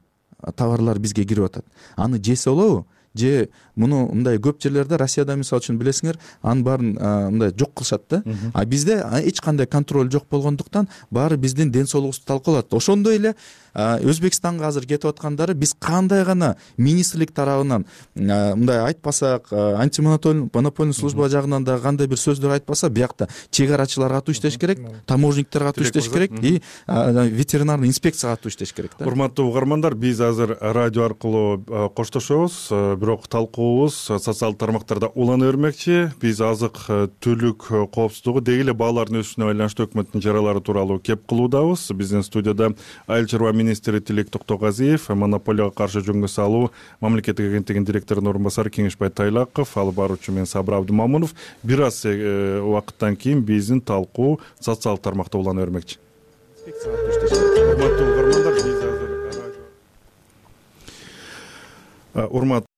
товарлар бизге кирип атат. Аны жесе болобу? Же муну мындай көп жерлерде Россияда мисалы үчүн билесиңер, анын баарын мындай жок кылышат да. А бизде эч кандай контроль жок болгондуктан баары биздин ден соолугубузду талкалап. Ошондой эле Өзбекстанга азыр кетип аткандары биз кандай гана министрлик тарабынан мындай айтпасак, антимонопольный служба жагынан да кандай бир сөздөр айтпаса, биякта чек арачылар катуу иштеш керек, таможниктер катуу иштеш керек и ветеринарный инспекция катуу иштеш керек да. Урматтуу угармандар, биз азыр радио аркылуу коштошобуз, бирок талкуубуз социалдык тармактарда улана бермекчи. Биз азык-түлүк коопсуздугу деги эле баалардын өсүшүнө байланыштуу өкмөттүн чаралары тууралуу кеп кылуудабыз. Биздин студияда Айыл чарба министри Тилек Токтогазиев, монополияга каршы жөнгө салуу мамлекеттик агенттигинин директорунун орун басары Кеңешбай Тайлаков, алып баруучу мен Сабыр Абдымамунов. Бир аз убакыттан кийин биздин талкуу социалдык тармакта улана бермекчи. Урматтуу